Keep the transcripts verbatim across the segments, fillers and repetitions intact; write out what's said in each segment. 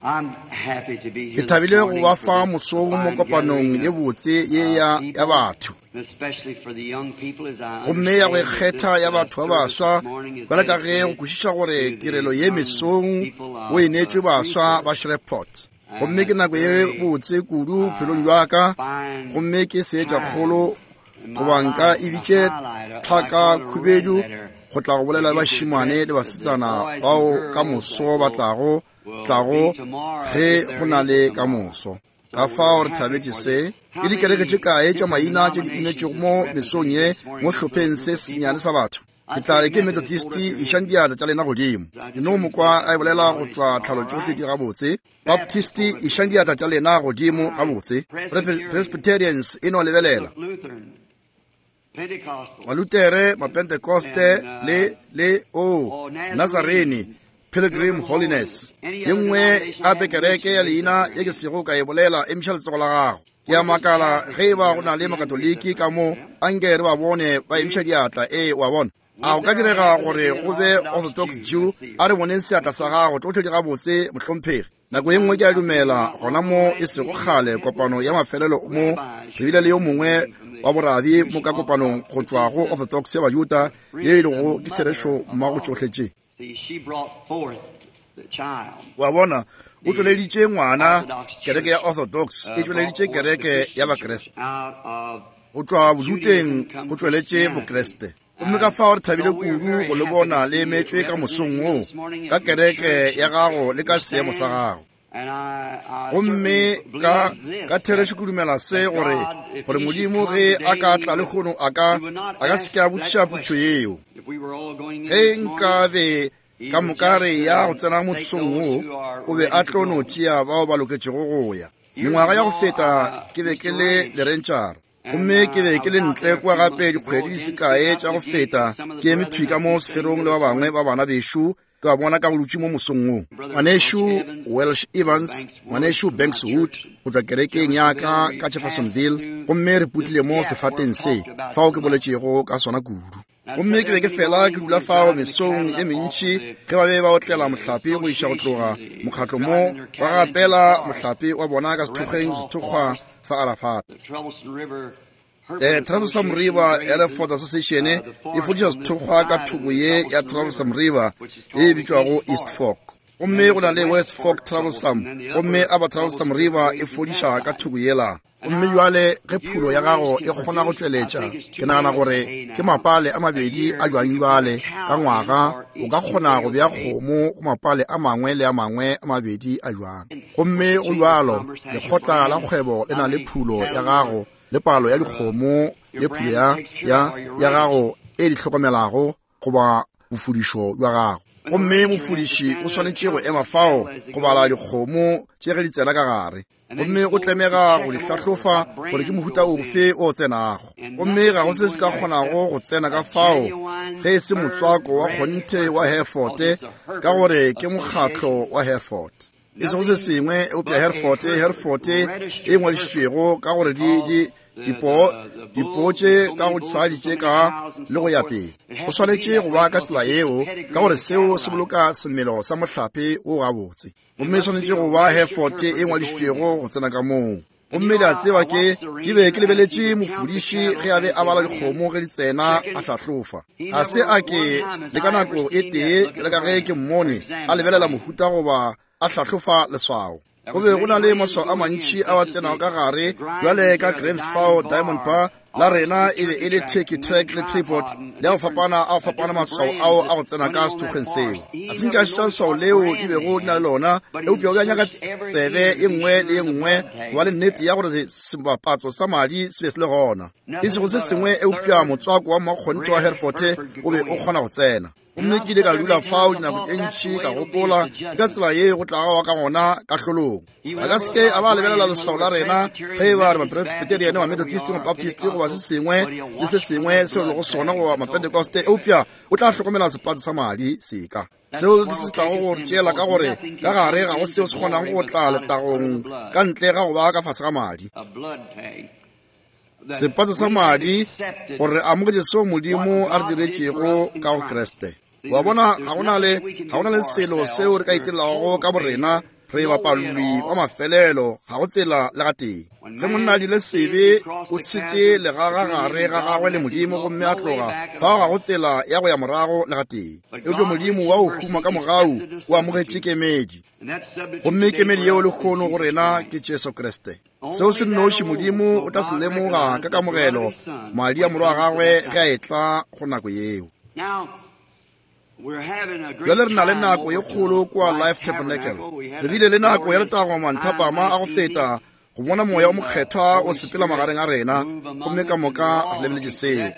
Ke thabile go ba fa mosong mo kopanong ye botse ye ya ya batho, gomme ya go ikgetha ya batho ba baswa, bjalo ka ge go kwešiša gore tirelo ye mesong o e neetšwe baswa ba Shreveport. Gomme ke nako ye botse kudu bophelong bja ka, gomme ke seetša kgolo goba nka e bitše tlhaka khubedu go tla go bolela le bašemane le basetsana bao ka moso ba tlago tlago ge go na le ka moso. Ka fao re thabetše se. Ke dikereke tše kae tša maina tše di inetšego mo mesong ye mo hlopheng se sennyane sa batho? Ke tla re ke Methodist, išang diatla tša lena godimo. Ke no mo kwa a e bolela go tšwa tlhalo tšohle di gabotse. Baptist, išang diatla tša lena godimo gabotse. Presbyterians, e no lebelela. Malutere, Mapentekoste, le le o Nazarene, Pilgrim Holiness, ye nngwe gape kereke ya leina ye ke sego ka e bolela, emiša letsogo la gago. Ke a makala ge e ba go na le Makatoliki ka mo, anke re ba bone ba emiša diatla. Ee, wa bona. A go ka direga gore go be Orthodox Jew? A re boneng seatla sa gago. Tšohle di gabotse, mohlomphegi. Nako ye nngwe ke a dumela gona mo e sego kgale kopano ya mafelelo mo re bile le yo mongwe wa borabi mo ka kopanong go tšwa go Orthodox ya Bajuda, ye e lego ke therešo mmago tšohle tše. Wa bona, o tšweleditše ngwana, kereke ya Orthodox e tšweleditše kereke ya Bakreste. Go tšwa Bojuteng go tšweletše Bokreste. Gomme ka fao re thabile kudu go le bona le emetšwe ka mosong wo, ka kereke ya gago le ka seemo sa gago. Gomme ka ka therešo ke dumela se, gore gore Modimo ge a ka tla lehono a ka a ka se ke a botšiša potšo yeo. Ge nka be ka moka re ya go tsena mosong wo, o be a tlo no tšea bao ba loketšego go ya. Mengwaga ya go feta ke be ke le lerentšara, gomme ke be ke le ntle kua gape dikgwedi di se kae tša go feta, ke eme thwi ka mo seferong le ba bangwe ba bana bešo, ke ba bona ka go dutše mo mosong wo. Ngwanešu Welsh Evans, ngwanešu Banks Wood, go tšwa kerekeng ya ka ka Jeffersonville, gomme re putlile mo sefateng se fao ke boletšego ka sona kudu. Gomme ke be ke fela ke dula fao mesong e mentši ge ba be ba otlela mohlape go iša go tloga mokgatlo mo, ba gapela mohlape wa bona ka sethokgweng sethokgwa sa Arafat. Eh, Troublesome River Hereford Association e fodiša sethokgwa ka thoko ye ya Troublesome River ye e bitšwago East Fork. Gomme go na le West Fork Troublesome, gomme Upper Troublesome River e fodiša ka thoko yela. Gomme jwale ge phulo ya gago e kgona go tšweletša, ke nagana gore ke mapale a mabedi a jwang jwale ka ngwaga, o ka kgona go bea kgomo go mapale a mangwe le a mangwe a mabedi a jwang. Gomme go jwalo, lekgotla la kgwebo le na le phulo ya gago le palo ya dikgomo le phulo ya, ya, ya gago e di hlokomelago goba bofudišo bja gago. Gomme mofudiši o swanetše go ema fao go bala dikgomo tše ge di tsena ka gare, gomme o tlemega go di hlahlofa gore ke mohuta ofe o tsenago. Gomme ga go se se ka kgonago go tsena ka fao ge e se motswako wa kgonthe wa Hereford, ka gore ke mokgatlo wa Hereford, e sego se sengwe eupša Hereford, Hereford e ngwadišitšwego ka gore di, di dipoo, dipoo tše ka go tshadi tše ka le go ya pele. Go swanetše go ba ka tsela yeo, ka gore seo se boloka semelo sa mohlape o gabotse. Gomme e swanetše go ba Hereford e ngwadišitšwego go tsena ka moo. Gomme le a tseba ke ke be ke lebeletše mofudiši ge a be a bala dikgomo ge di tsena a hlahlofa. Ga se a ke le ka nako e tee le ka ge ke mmone a lebelela mohuta goba a hlahlofa leswao. Go be go na le maswao a mantši a a tsenago ka gare, bjale ka Grams fao Diamond Bar la rena e be e le Turkey Track le Tripod le a go fapana a go fapana maswao ao a go tsena ka sethokgweng seo. A se nke a šetša leswao leo di bego di na le lona, eupša o be a nyaka tsebe ye nngwe le ye nngwe go ba le nnete ya gore sebapatso sa madi se be se le gona, e sego se sengwe eupša motswako wa mmakgonthe wa Hereford o be o kgona go tsena. Gomme ke ile ka dula fao dinako tše ntši ka gopola ka tsela ye go tlago wa ka gona kahlolong. A ka se ke a ba lebelela leswao la rena ge e ba re Mapresbyterian, Mamethodist, Mabaptist goba se sengwe le se sengwe seo lego sona goba Mapentekoste, eupša o tla hlokomela sepatso sa madi seka. Seo ke se se tlago go re tšeela ka gore ka gare ga go seo se kgonago go tla letagong ka ntle ga go ba ka fase ga madi. Sepatso sa madi, gore re amogetše seo Modimo a re diretšego ka go Kriste. Wa bona, ga go na le, ga go na le selo seo re ka itirelago ka borena. Re bapalwi wa mafelelo, ga go tsela le gatee. Ge monna a dirile sebe, o tshetše legaga gare ga gagwe le Modimo gomme a tloga, fao ga go tsela ya go ya morago le gatee. Eupša Modimo wa go huma ka mogau o amogetše kemedi, gomme kemedi yeo lehono go rena ke Jesu Kriste. Seo se nnoši Modimo o tla se lemoga ka kamogelo madi a morwa wa gagwe ge a etla go nako yeo. Bjale re na le nako ye kgolo kua Life Tabernacle. Re bile le nako ya letago manthapama a go feta go bona moya o mokgethwa o sepela magareng a rena, gomme ka moka re lebeletše seo.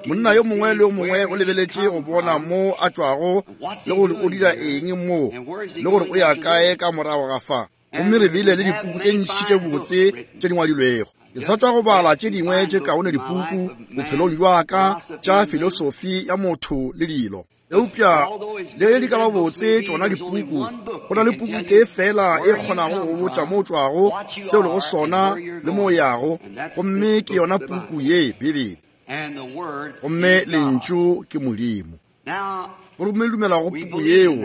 Monna yo mongwe le yo mongwe o lebeletše go bona mo a tšwago le gore o dira eng mo le gore o ya kae ka morago ga fa. Gomme re bile le dipuku tše ntši tše botse tše di ngwadilwego. Ke sa tšwa go bala tše dingwe tše kaone dipuku bophelong bja ka tša filosofi ya motho le dilo. Eupša le di ka ba botse tšona dipuku, go na le puku tee fela e kgonago go botša mo o tšwago, seo lego sona le mo o yago, gomme ke yona puku ye, Bibele. Gomme lentšu ke Modimo. Gomme dumela go puku yeo,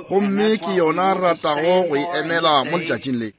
gomme ke yona re ratago go e emela mo letšatšing le.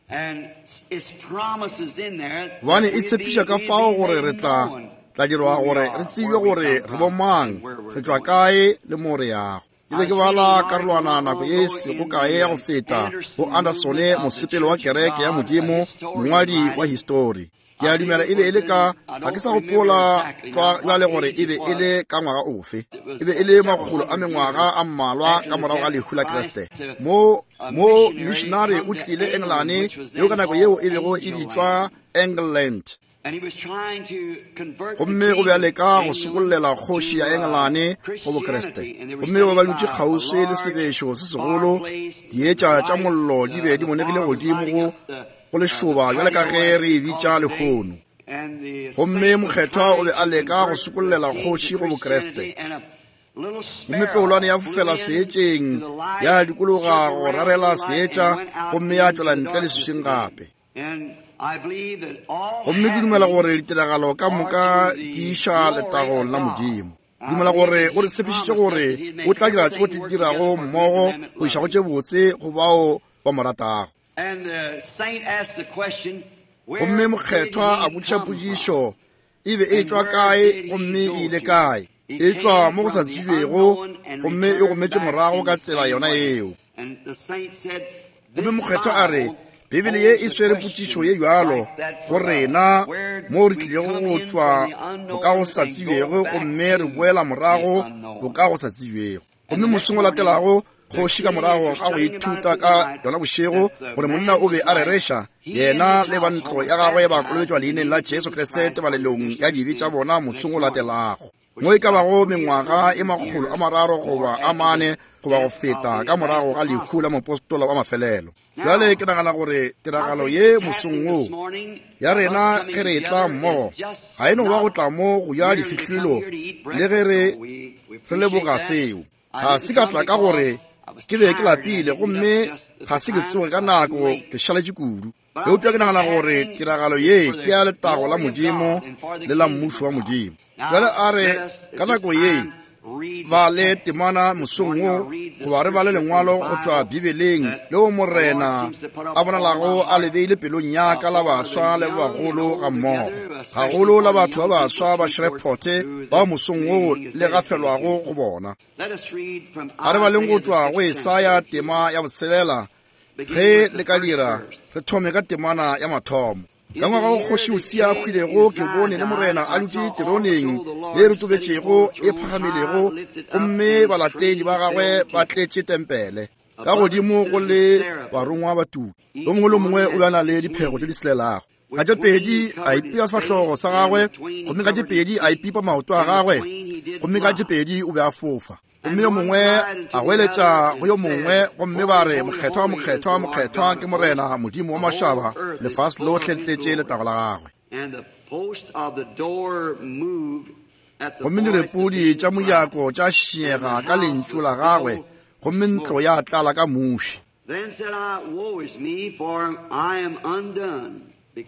Gobane e tshepiša ka fao gore re tla tla dirwa gore re tsebe gore re bomang, re tšwa kae le mo re yago. Ke be ke bala karolwana nako ye sego kae ya go feta go Andersone, mosepelo wa kereke ya Modimo, mongwadi wa histori. Ke a dumela e be e le ka, ga ke sa gopola bjale gore e be e le ka ngwaga ofe. E be e le makgolo a mengwaga a mmalwa ka morago ga lehu la Kriste. Mo mo missionary o tlile Engelane, yeo ka nako yeo e bego e bitšwa England. Gomme o be a leka go sokollela kgoši ya Engelane go Bokriste. Gomme ba ba dutše kgauswi le sebešo se segolo, dietša tša mollo di be di monegile godimo go go lešoba bjale ka ge re e bitša lehono. Gomme mokgethwa o be a leka go sokollela kgoši go Bokriste. Gomme peolwane ya fofela seetšeng, ya dikologa go rarela seetša, gomme ya tšwela ntle leswiswing gape. Gomme ke dumela gore ditiragalo ka moka di iša letagong la Modimo. Ke dumela gore o re tshepišitše gore o tla dira tšeo di dirago mmogo go iša go tše botse go bao ba mo ratago. Gomme mokgethwa a botšiša potšišo, e be e tšwa kae gomme e ile kae? E tšwa mo go sa tsebjego gomme e gometše morago ka tsela yona yeo. Gomme mokgethwa a re, Bibele ye e swere potšišo ye bjalo go rena mo re tlilego go tšwa go ka go sa tsebjego gomme re boela morago go ka go sa tsebjego. Gomme mosong o latelago, kgoši ka morago ga go ithuta ka yona bošego gore monna o be a rereša, yena le ba ntlo ya gagwe ba kolobetšwa leineng la Jesu Kriste tebalelong ya dibe tša bona mosong o latelago. Mo e ka bago mengwaga e makgolo a mararo goba a mane goba go feta ka morago ga lehu la mopostola wa mafelelo. Bjale ke nagana gore tiragalo ye mosong wo ya rena ge re etla mmogo ga e no ba go tla mo go ja difihlilo le ge re re leboga seo. Ga se ka tla ka gore ke be ke lapile gomme ga se ke tsoge ka nako, ke šaletše kudu. Eupša ke nagana gore tiragalo ye ke ya letago la Modimo le la mmušo wa Modimo. Bjale a re ka nako ye ba le temana mosong wo goba re bale lengwalo go tšwa Bibeleng leo Morena a bonalago a le beile pelong ya ka la baswa le ba bagolo ga mmogo, gagolo la batho ba baswa ba Shreveport bao mosong wo le gafelwago go bona. A re baleng go tšwa go Esaya tema ya botshelela, ge le ka dira re thome ka temana ya mathomo. Ka ngwaga wo kgoši Usia a hwilego, ke bone le Morena a dutše teroneng ye rotobetšego e phagamilego, gomme balatedi ba gagwe ba tletše tempele. Ka godimo go le barongwa ba tuka, yo mongwe le mongwe o be a na le diphego tše di selelago. Ka tše pedi a ipea sefahlogo sa gagwe, gomme ka tše pedi a ipipa maoto a gagwe, gomme ka tše pedi o be a fofa. Gomme yo mongwe a goeletša go yo mongwe, gomme ba re, Mokgethwa, mokgethwa, mokgethwa ke Morena Modimo wa mašaba, lefase lohle le tletše letago la gagwe. Gomme direpodi tša mojako tša šinyega ka lentšu la gagwe, gomme ntlo ya tlala ka muši.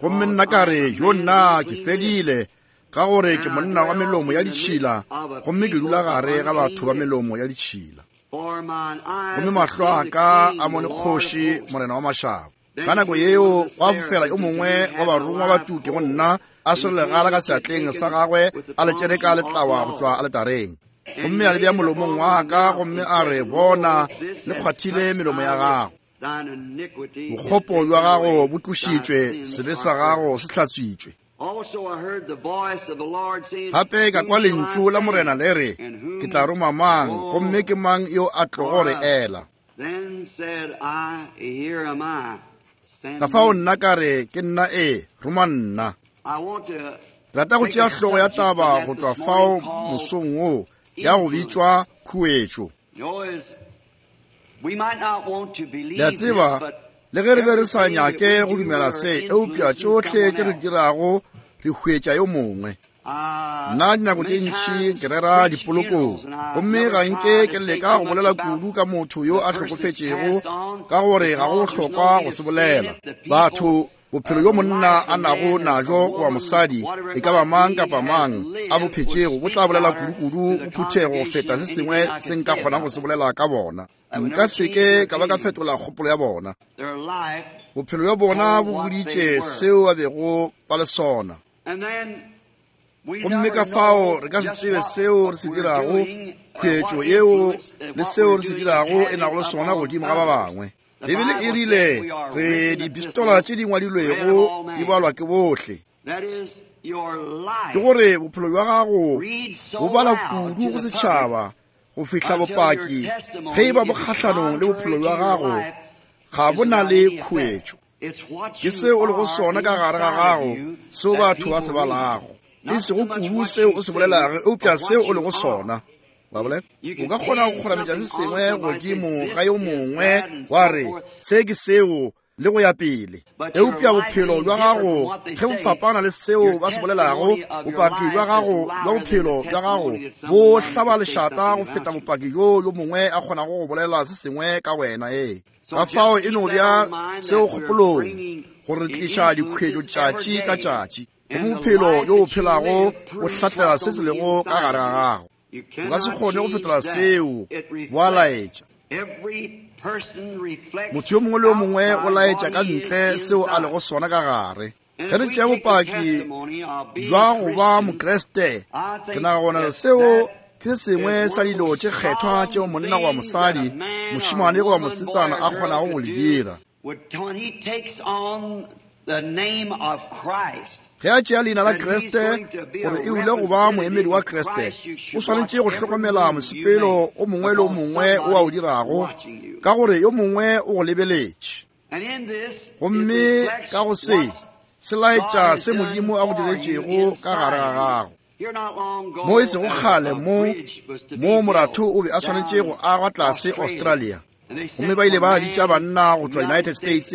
Gomme nna ka re, yo nna ke fedile, ka gore ke monna wa melomo ya ditšhila, gomme ke dula gare ga batho ba melomo ya ditšhila. Gomme mahlo a ka a mone kgoši Morena wa mašaba. Ka nako yeo gwa fofela yo mongwe wa barongwa ba tuke go nna, a swere legala ka seatleng sa gagwe, a le tšere ka letlawa go tšwa aletareng. Gomme a le bea molomong wa ka, gomme a re, bona, le kgwathile melomo ya gago. Bokgopo bja gago bo tlošitšwe, sebe sa gago se hlatswitšwe. Gape ka kwa lentšu la Morena le re, ke tla roma mang, gomme ke mang yo a tlogo re ela? Ka fao nna ka re, ke nna e, roma nna. Rata go tšea hlogo ya taba go tšwa fao mosong wo, ya go bitšwa khuetšo. Le a tseba, le ge re be re sa nyake go dumela se, eupša tšohle tše re dirago re hwetša yo mongwe. Nna dinako tše ntši ke rera dipolokong, gomme ga nke ke leka go bolela kudu ka motho yo a hlokofetšego, ka gore ga go bohlokwa go se bolela. Batho, bophelo yo monna a nago najo goba mosadi, e ka ba mang kapa mang a bo phetšego, bo tla bolela kudu-kudu go phuthego go feta se sengwe se nka kgonang go se bolela ka bona. Nka seke ka ba ka fetola kgopolo ya bona. Bophelo bja bona bo boditše seo ba bego ba le sona. Gomme ka fao re ka se tsebe seo re se dirago, khuetšo yeo le seo re se dirago e nago le sona godimo ga ba bangwe. Bibele e rile re dipistola tše di ngwadilwego di balwa ke bohle. Ke gore bophelo bja gago bo bala kudu go setšhaba go fihla bopaki ge e ba bo kgahlanong le bophelo bja gago ga bo na le khuetšo. Ke seo o lego sona ka gare ga gago seo batho ba se balago, e sego kudu seo o se bolelago, eupša seo o lego sona. O ka kgona go kgorametša se sengwe godimo ga yo mongwe wa re se ke seo le go ya pele, eupša bophelo bja gago ge bo fapana le seo ba se bolelago, bopaki bja gago bja bophelo bja gago bo hlaba lešata go feta bopaki bjo yo mongwe a kgonago go bolela se sengwe ka wena. Ee, ka fao e no bja seo kgopolong gore re tliša dikhuetšo tšatši ka tšatši, gomme bophelo yo o phelago bo hlatlela se se lego ka gare ga gago. O ka se kgone go fetola seo, bo a laetša. Motho yo mongwe le yo mongwe o laetša ka ntle seo a lego sona ka gare. Ge re tšea bopaki bja go ba Mokriste, ke nagana seo ke se sengwe sa dilo tše kgethwa tšeo monna goba mosadi, mošemane goba mosetsana a kgonago go le dira. Ge a tšea leina la Kriste gore e ule go ba moemedi wa Kriste, o swanetše go hlokomela mosepelo o mongwe le o mongwe o a o dirago, ka gore yo mongwe o go lebeletše. Gomme ka go se, se laetša se Modimo a go diretšego ka gare ga gago. Mo e sego kgale mo, mo moratho o be a swanetše go agwa tlase Australia. Gomme ba ile ba bitša banna go tšwa United States,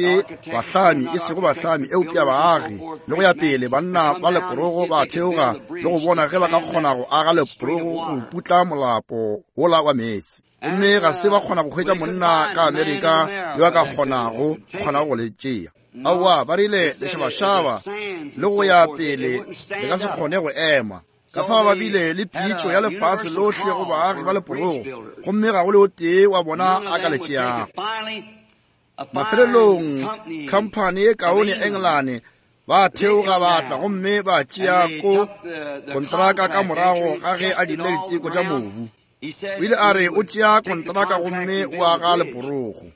bahlami, e sego bahlami, eupša baagi, le go ya pele, banna ba leporogo ba theoga le go bona ge ba ka kgona go aga leporogo go putla molapo wola wa meetse. Gomme ga se ba kgona go hwetša monna ka Amerika yo a ka kgonago kgonago go le tšea. Aowa, ba rile lešabašaba le go ya pele le ka se kgone go ema. Ka fao ba bile le pitšo ya lefase lohle go baagi ba leporogo, gomme ga go le o tee wa bona a ka le tšeago. Mafelelong, khamphani e kaone Engelane ba theoga ba tla gomme ba tšea ko kontraka ka morago ga ge a dirile diteko tša mobu. O ile a re o tšea kontraka gomme o aga leporogo.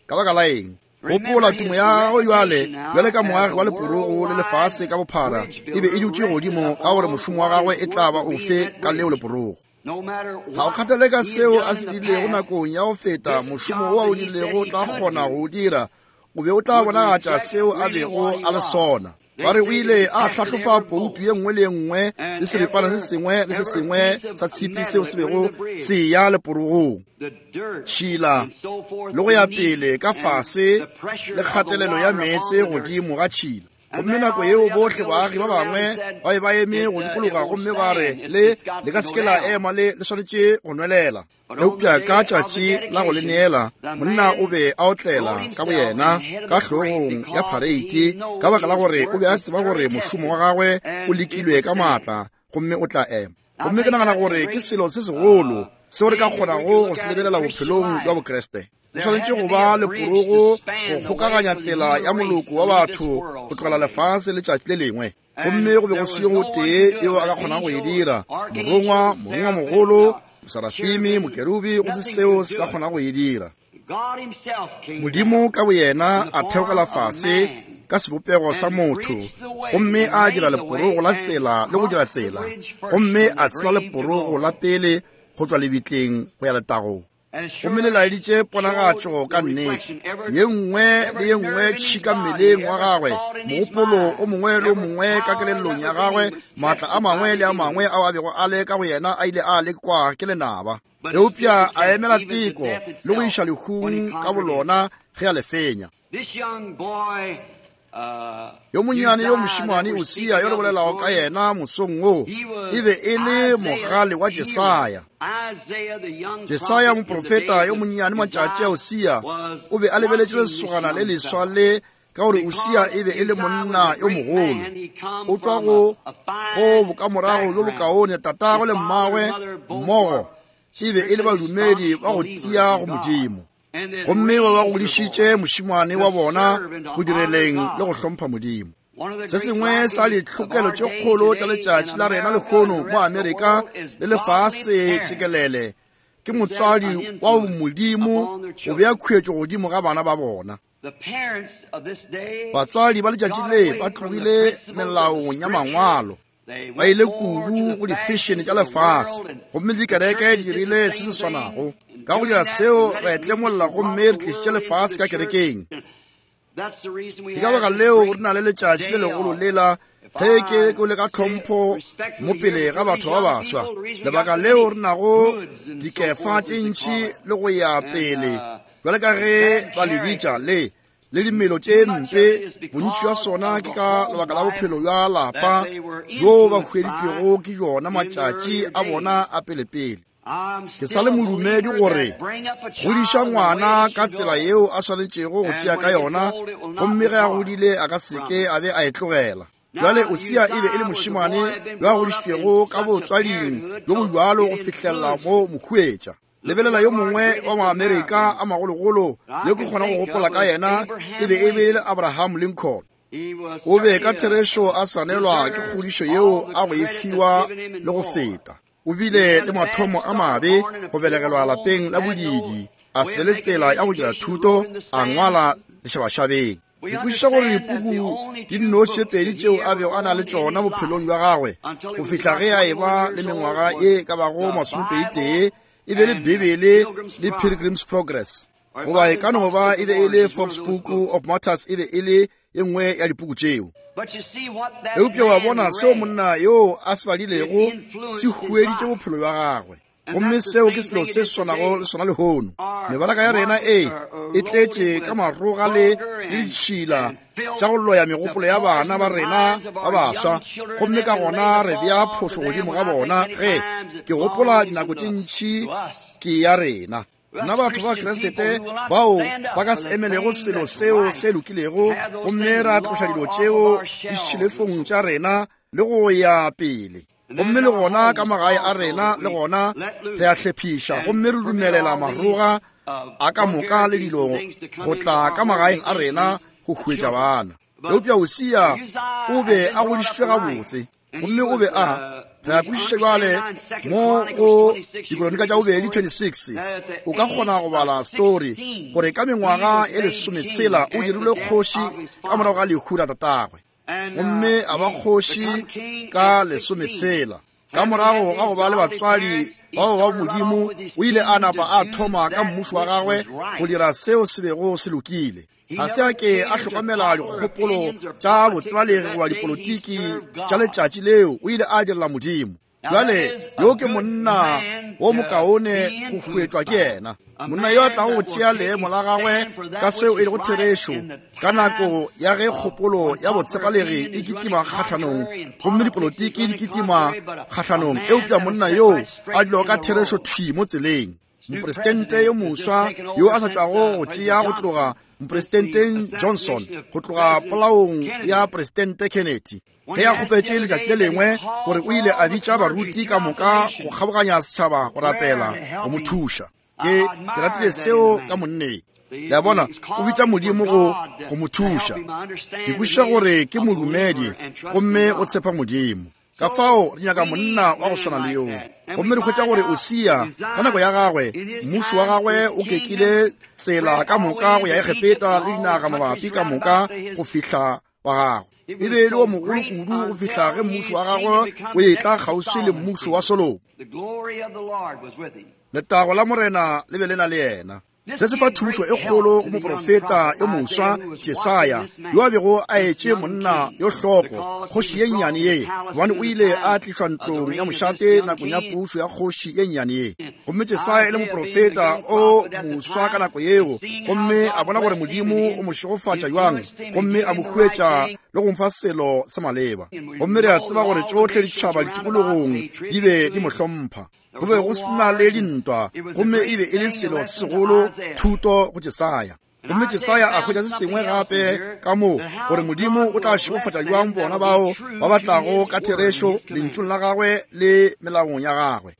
Ka baka la eng? Gopola tumo ya gagwe bjale, bjale ka moagi wa leporogo le lefase ka bophara, e be e dutše godimo ka gore mošomo wa gagwe e tla ba ofe ka leo leporogo. Ga o kgathale ka seo a se dirilego nakong ya go feta, mošomo wo a o dirilego o tla kgona go o dira, o be o tla bonagatša seo a bego a le sona. Ba re o ile a hlahlofa poutu ye nngwe le ye nngwe le seripana se sengwe le se sengwe sa tshipi seo se bego se ya leporogong, tšhila le go ya pele ka fase le kgatelelo ya meetse godimo ga tšhila. Gomme nako yeo bohle baagi ba bangwe ba be ba eme go dikologa gomme ba re le le ka se ke la ema, le le swanetše go nwelela. Eupša ka tšatši la go le neela, monna o be a otlela ka boyena ka hlogong ya phareiti, ka baka la gore o be a tseba gore mošomo wa gagwe o lekilwe ka maatla gomme o tla ema. Gomme ke nagana gore ke selo se segolo Seo re ka kgonago go se lebelela bophelong bja Bokriste. Go swanetše go ba leporogo go kgokaganya tsela ya moloko wa batho go tlogela lefase letšatši le lengwe. Gomme go be go se yo tee eo a ka kgonago go e dira. Morongwa, morongwamogolo, Mosarafimi, Mokerubi, go se seo se ka kgonago go e dira. Modimo ka boyena a theogela fase ka sebopego sa motho, gomme a dira leporogo la tsela le go dira tsela, gomme a tshela leporogo la pele go tšwa lebitleng go ya letagong. Gomme le laeditše ponagatšo ka nnete. Ye nngwe le ye nngwe tšhika mmeleng wa gagwe, mogopolo o mongwe le o mongwe ka kelellong ya gagwe, maatla a mangwe le a mangwe ao a bego a le ka go yena a ile a lekwa ke lenaba. Eupša a emela teko le go iša lehung ka bolona ge a le fenya. Yo monnyane yo mošemane Usia yo re bolelago ka yena mosong wo, e be e le mogale wa Jesaya. Jesaya moprofeta yo monnyane matšatši a Usia o be a lebeletše lesogana le leswa le, ka gore Usia e be e le monna yo mogolo. O tšwa go go bokamorago bjo bokaone, tatagwe le mmagwe mmogo e be e le badumedi ba go tia go Modimo. Gomme ba ba godišitše mošemane wa bona go direleng le go hlompha Modimo. Se sengwe sa ditlhokelo tše kgolo tša letšatši la rena lehono mo Amerika le lefase tšekelele ke motswadi wa Modimo go bea khuetšo godimo ga bana ba bona. Batswadi ba letšatši le ba tlogile melaong ya mangwalo, ba ile kudu go difešene tša lefase, gomme dikereke di dirile se se swanago. Ka go dira seo re tlemolla gomme re tlišitše lefase ka kerekeng. Ke ka baka leo re na le letšatši le legolo lela ge ke ke le ka tlhompho mo pele ga batho ba baswa. Lebaka leo re nago dikefa tše ntši le go ya pele bjale ka ge ba le bitša le le dimelo tše mpe, bontši bja sona ke ka lebaka la bophelo bja lapa bjo ba hweditšwego ke jona matšatši a bona a pelepele. Ke sa le modumedi gore godiša ngwana ka tsela yeo a swanetšego go tšea ka yona, gomme ge a godile a ka seke a be a e tlogela. Bjale Usia e be e le mošemane yo a godišitšwego ka botswading bjo bo bjalo go fihlelela mo mokhuetša. Lebelela yo mongwe wa Maamerika a magologolo yo ke kgona go gopola ka yena, e be e be e le Abraham Lincoln. O be ka therešo a swanelwa ke kgodišo yeo a go e fiwa le go feta. O bile le mathomo a mabe go belegelwa lapeng la bodidi, a se be le tsela ya go dira thuto, a ngwala lešabašabeng. Ke kwešiša gore dipuku di nnoši tše pedi tšeo a bego a na le tšona bophelong bja gagwe go fihla ge a eba le mengwaga ye ka bago masomepedi tee e be le Bibele le Pilgrim's Progress, goba e ka no ba e be e le Fox Book of Martyrs, e be e le ye nngwe ya dipuku tšeo. Eupša wa bona seo monna yo a se badilego se hueditše bophelo bja gagwe, gomme seo ke selo se swanago le sona lehono. Mebaraka ya rena e e tletše ka maroga le le ditšhila tša go loya megopolo ya bana ba rena ba baswa, gomme ka gona re bea phošo godimo ga bona. Ge ke gopola dinako tše ntši ke ya rena nna batho ba Kriste bao ba ka se emelego selo seo se lokilego, gomme ra tloša dilo tšeo ditšhilefong tša rena le go ya pele. Gomme le gona ka magae a rena le gona re a hlephiša, gomme re dumelela maroga a ka moka le dilo go tla ka magaeng a rena go hwetša bana. Eupša Usia o be a godišitšwe gabotse, gomme o be a re a kwešiša bjale mo go Dikronika tša bobedi twenty-six, o ka kgona go bala story gore ka mengwaga e lesometshela o dirilwe kgoši ka morago ga lehu la tatagwe, gomme a ba kgoši ka lesometshela. Ka morago ga go ba le batswadi bao ba Modimo, o ile a napa a thoma ka mmušo wa gagwe go dira seo se bego se lokile. Ga se a ke a hlokomela dikgopolo tša botsebalegi goba dipolotiki tša letšatši leo, o ile a direla Modimo. Bjale yo ke monna wo mokaone go hwetšwa ke yena, monna yo a tlago go tšea leemo la gagwe ka seo e lego therešo ka nako ya ge kgopolo ya botshepalegi e kitima kgahlanong, gomme dipolotiki di kitima kgahlanong, eupša monna yo a dulago ka therešo thwi mo tseleng. Mopresidente yo moswa yo a sa tšwago go tšea go tloga Mopresidenteng Johnson, go tloga polaong ya Presidente Kennedy. Ge a kgopetše letšatši le lengwe gore o ile a bitša baruti ka moka go kgaboganya setšhaba go rapela go mo thuša. Ke ke ratile seo ka monneng. Le a bona, o bitša Modimo go go mo thuša. Ke kwešiša gore ke modumedi gomme o tshepa Modimo. Ka fao re nyaka monna wa go swana le yoo. Gomme re hwetša gore Usia ka nako ya gagwe, mmušo wa gagwe o kekile tsela ka moka go ya Egepeta le dinaga mabapi ka moka go fihla wa gagwe. E be e le o mogolo kudu go fihla ge mmušo wa gagwe o etla kgauswi le mmušo wa Solomo. Letago la Morena le be le na le yena. Se se fa thušo e kgolo go moprofeta yo moswa Jesaya, yo a bego a etše monna yo hloko, kgoši ye nnyane ye, gobane o ile a tlišwa ntlong ya mošate nakong ya pušo ya kgoši ye nnyane ye. Gomme Jesaya e le moprofeta o moswa ka nako yeo, gomme a bona gore Modimo o mo šegofatša bjang, gomme a mo huetša le go mfa selo sa maleba. Gomme re a tseba gore tšohle ditšhaba ditikologong di be di mo hlompha. Go be go sena le dintwa, gomme e be e le selo se segolo thuto go Jesaya. Gomme Jesaya a hwetša se sengwe gape ka mo, gore Modimo o tla šegofatša bjang bona bao ba batlago ka therešo lentšung la gagwe le melaong ya gagwe.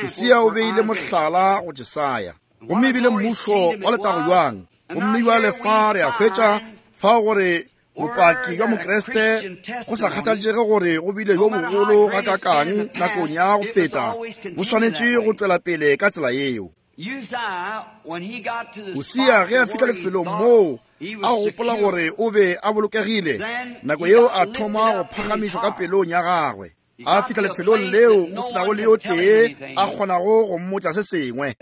Usia o beile mohlala go Jesaya, gomme e bile mmušo wa letago bjang. Gomme bjale fa re a hwetša fao gore bopaki bja Mokriste, go sa kgathaletšege gore go bile yo bogolo gakakang nakong ya go feta, bo swanetše go tšwela pele ka tsela yeo. Usia ge a fihla lefelong moo a gopola gore o be a bolokegile, nako yeo a thoma go phagamišwa ka pelong ya gagwe. A fihla lefelong leo go senago le yo tee a kgonago go mmotša se sengwe.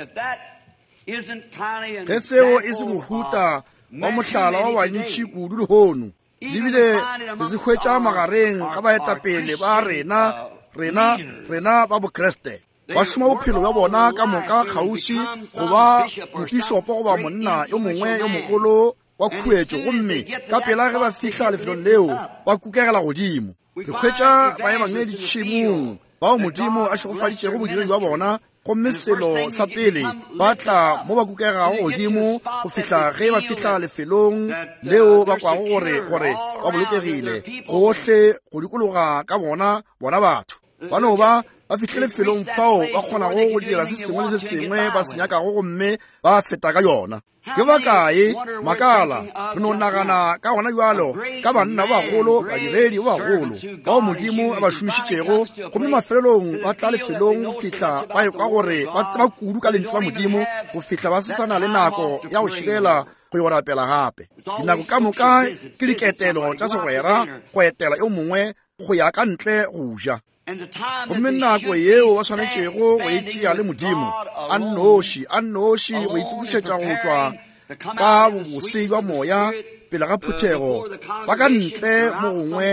Ge seo e se mohuta wa mohlala wa bantši kudu lehono, lebile re se hwetša magareng ga baetapele ba rena, rena, rena ba Bokriste. Ba šoma bophelo bja bona ka moka kgauswi go ba mopišopo goba monna yo mongwe yo mogolo wa khuetšo, gomme ka pela ge ba fihla lefelong leo ba kukegela godimo. Re hwetša baebangedi tšhemong bao Modimo a šegofaditšego bodiredi bja bona, gomme selo sa pele ba tla mo ba kukegago godimo go fihla ge ba fihla lefelong leo ba kwago gore gore ba bolokegile gohle go dikologa ka bona bona batho. Ba no ba ba fihle lefelong fao ba kgonago go dira se sengwe le se sengwe ba se nyakago, gomme ba feta ka yona. Ke bakae makala re no nagana ka gona bjalo ka banna ba bagolo, badiredi ba bagolo bao Modimo a ba šomišitšego, gomme mafelelong ba tla lefelong go fihla ba ekwa gore ba tseba kudu ka lentšu la Modimo go fihla ba se sa na le nako ya go šibela go yo rapela gape. Dinako ka moka ke diketelo tša segwera, go etela yo mongwe, go ya ka ntle go ja. Gomme nako yeo ba swanetšego go e tšea le Modimo a nnoši, a nnoši, go itokišetša go tšwa ka bobose bja moya pele ga phuthego, ba ka ntle mo gongwe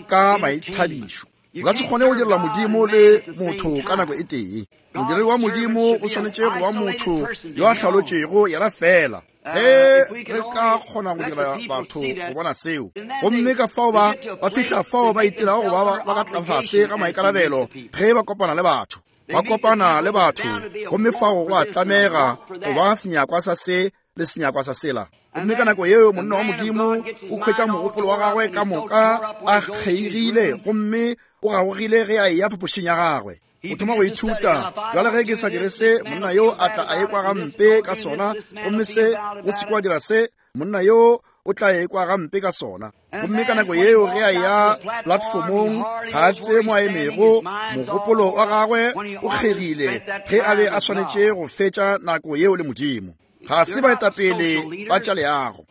ka maithabišo. O ka se kgone go direla Modimo le motho ka nako e tee. Modiredi wa Modimo o swanetše go ba motho yo a hlalotšego yena fela. Ge re ka kgona go dira batho go bona seo, gomme ka fao ba ba fihla fao ba itirago go ba ba ka tlase ga maikarabelo ge ba kopana le batho. Ba kopana le batho, gomme fao go a tlamega go ba senyakwa sa se le senyakwa sa sela. Gomme ka nako yeo monna wa Modimo o hwetša mogopolo wa gagwe ka moka a kgeigile, gomme o gagogile ge a eya phapošing ya gagwe. O thoma go ithuta. Bjale ge ke sa dire se, monna yo a tla a ekwa gampe ka sona, gomme se o se kwa dira se, monna yo o tla ekwa gampe ka sona. Gomme ka nako yeo ge a ya platformong, ga a tsebe mo a emego, mogopolo wa gagwe o kgegile ge a be a swanetše go fetša nako yeo le Modimo. Ga se baetapele ba tša leago.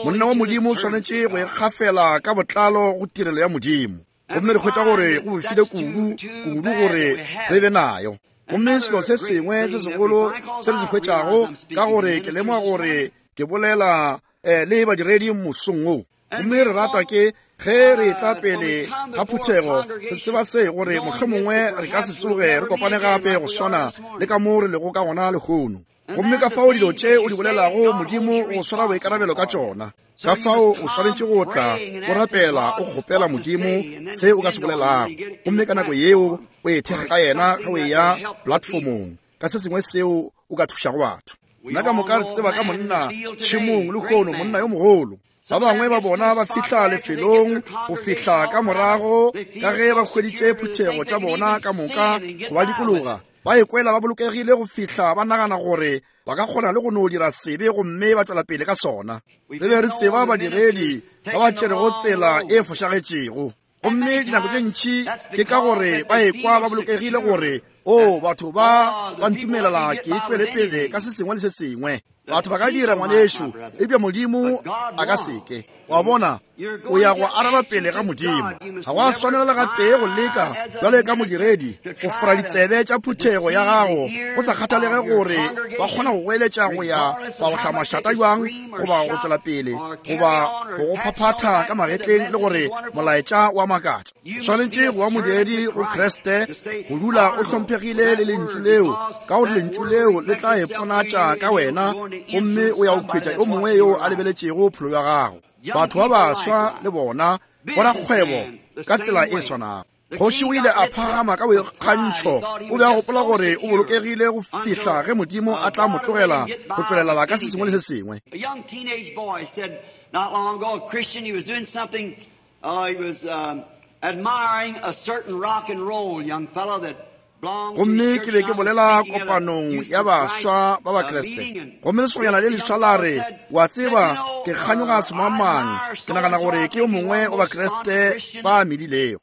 Monna wa Modimo o swanetše go ikgafela ka botlalo go tirelo ya Modimo. Gomme re hwetša gore go befile kudu kudu gore re be nayo. Gomme selo se sengwe se segolo se re se hwetšago, ka gore ke lemoga gore ke bolela eh, le badiredi mosong wo. Gomme re rata ke ge re etla pele ga phuthego, re tseba se gore mohlomongwe re ka se tsoge re kopane gape go swana le ka mo re lego ka gona lehono. Gomme ka fao dilo tše o di bolelago, Modimo o swara boikarabelo ka tšona. Ka fao o swanetše go tla o rapela, o kgopela Modimo se o ka se bolelago, gomme ka nako yeo o e thekga ka yena ge o eya platformong ka se sengwe seo o ka thušago batho. Nna ka moka re tseba ka monna tšhemong lehono, monna yo mogolo. Ba bangwe ba bona ba fihla lefelong go fihla ka morago ka ge ba hweditše phuthego tša bona ka moka go ba dikologa, ba ikwela ba bolokegile go fihla ba nagana gore ba ka kgona le go no dira sebe gomme ba tšwela pele ka sona. Re be re tseba badiredi ba ba tšerego tsela e fošagetšego, gomme dinako tše ntši ke ka gore ba ekwa ba bolokegile gore o batho ba ba ntumelela ke tšwele pele ka se sengwe le se sengwe. Batho ba ka dira, ngwanešu, eupša Modimo a ka seke. Wa bona, o ya go araba pele ga Modimo. Ga wa swanela le gatee go leka bjale ka modiredi go fora ditsebe tša phuthego ya gago, go sa kgathalege gore ba kgona go goeletša go ya ba go hla mašata bjang, goba go tšwela pele, goba go go phaphatha ka magetleng le gore molaetša wa makatša. Swanetše go ba modiredi go Kriste, go dula o hlomphegile le lentšu leo, ka gore lentšu leo le tla iponatša ka wena, gomme o ya go hwetša yo mongwe yo a lebeletšego pholo ya gago. Batho ba baswa le bona borakgwebo ka tsela e swanago. Kgoši o ile a phagama ka boikgantšho, o be a gopola gore o bolokegile go fihla ge Modimo a tla mo tlogela go tšwelela ka se sengwe le se sengwe. A young teenage boy said not long ago, a Christian, he was doing something, uh, he was um, admiring a certain rock and roll young fellow that Gomme ke be ke bolela kopanong ya baswa ba Bakriste, gomme lesogana le leswa la re, wa tseba, ke kganyoga semangmang, ke nagana gore ke yo mongwe wa Bakriste ba medilego.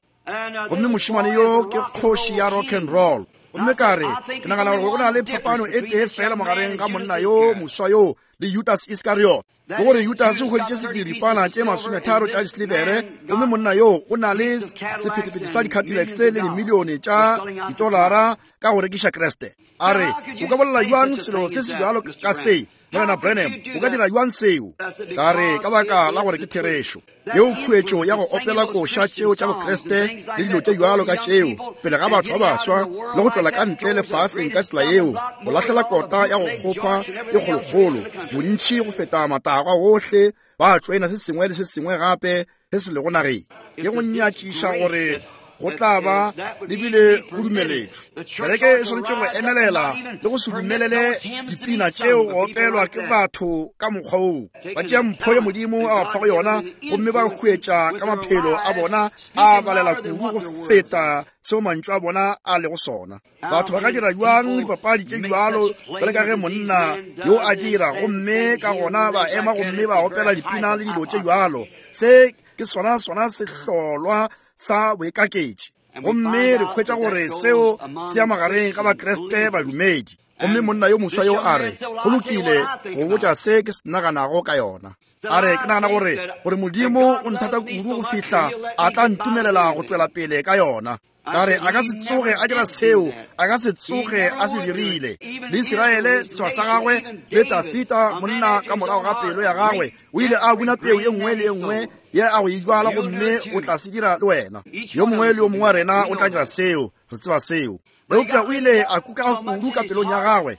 Gomme mošemane yo ke kgoši ya rock and roll. Gomme ka re, ke nagana gore go na le phapano e tee fela magareng ga monna yo moswa yo le Judas Iskariot. Ke gore Judas o hweditše sediripana tše masometharo tša disilivere, gomme monna yo o na le sephethephethe sa di-Cadillacs le dimilione tša ditolara ka go rekiša Kriste. A re, o ka bolela bjang selo se se bjalo ka se, Morena Branham? O ka dira bjang seo? Ka re, ka baka la gore ke therešo. Yeo khuetšo ya go opela koša tšeo tša Bokriste le dilo tše bjalo ka tšeo pele ga batho ba baswa le go tšwela ka ntle lefaseng ka tsela yeo, go lahlela kota ya go kgopha e kgolokgolo bontši go feta matagwa ohle, ba tšoena se sengwe le se sengwe gape se se lego nageng. Ke go nyatšiša gore go tla ba lebile go dumeletšwe. Kereke e swanetše go emelela le go se dumelele dipina tšeo go opelwa ke batho ka mokgwa woo. Ba tšea mpho ye Modimo a ba fago yona, gomme ba hwetša ka maphelo a bona a balela kudu go feta seo mantšu a bona a lego sona. Batho ba ka dira bjang dipapadi tše bjalo bjale ka ge monna yo a dira, gomme ka gona ba ema gomme ba opela dipina le dilo tše bjalo. Se ke sona sona sehlolwa sa boikaketši. Gomme re hwetša gore seo se ya magareng ga Bakriste badumedi. Gomme monna yo moswa yo a re, go lokile go botša se ke se naganago ka yona. A re, ke nagana gore gore Modimo o nthata kudu go fihla a tla ntumelela go tšwela pele ka yona. Ka re, a ka se tsoge a dira seo, a ka se tsoge a se dirile. Le Isiraele setšhaba sa gagwe le Dafita monna ka morago ga pelo ya gagwe o ile a buna peu ye nngwe le ye nngwe ye a go e jwala, gomme o tla se dira le wena. Yo mongwe le yo mongwe wa rena o tla dira seo, re tseba seo. Eupša o ile a kuka kudu ka pelong ya gagwe.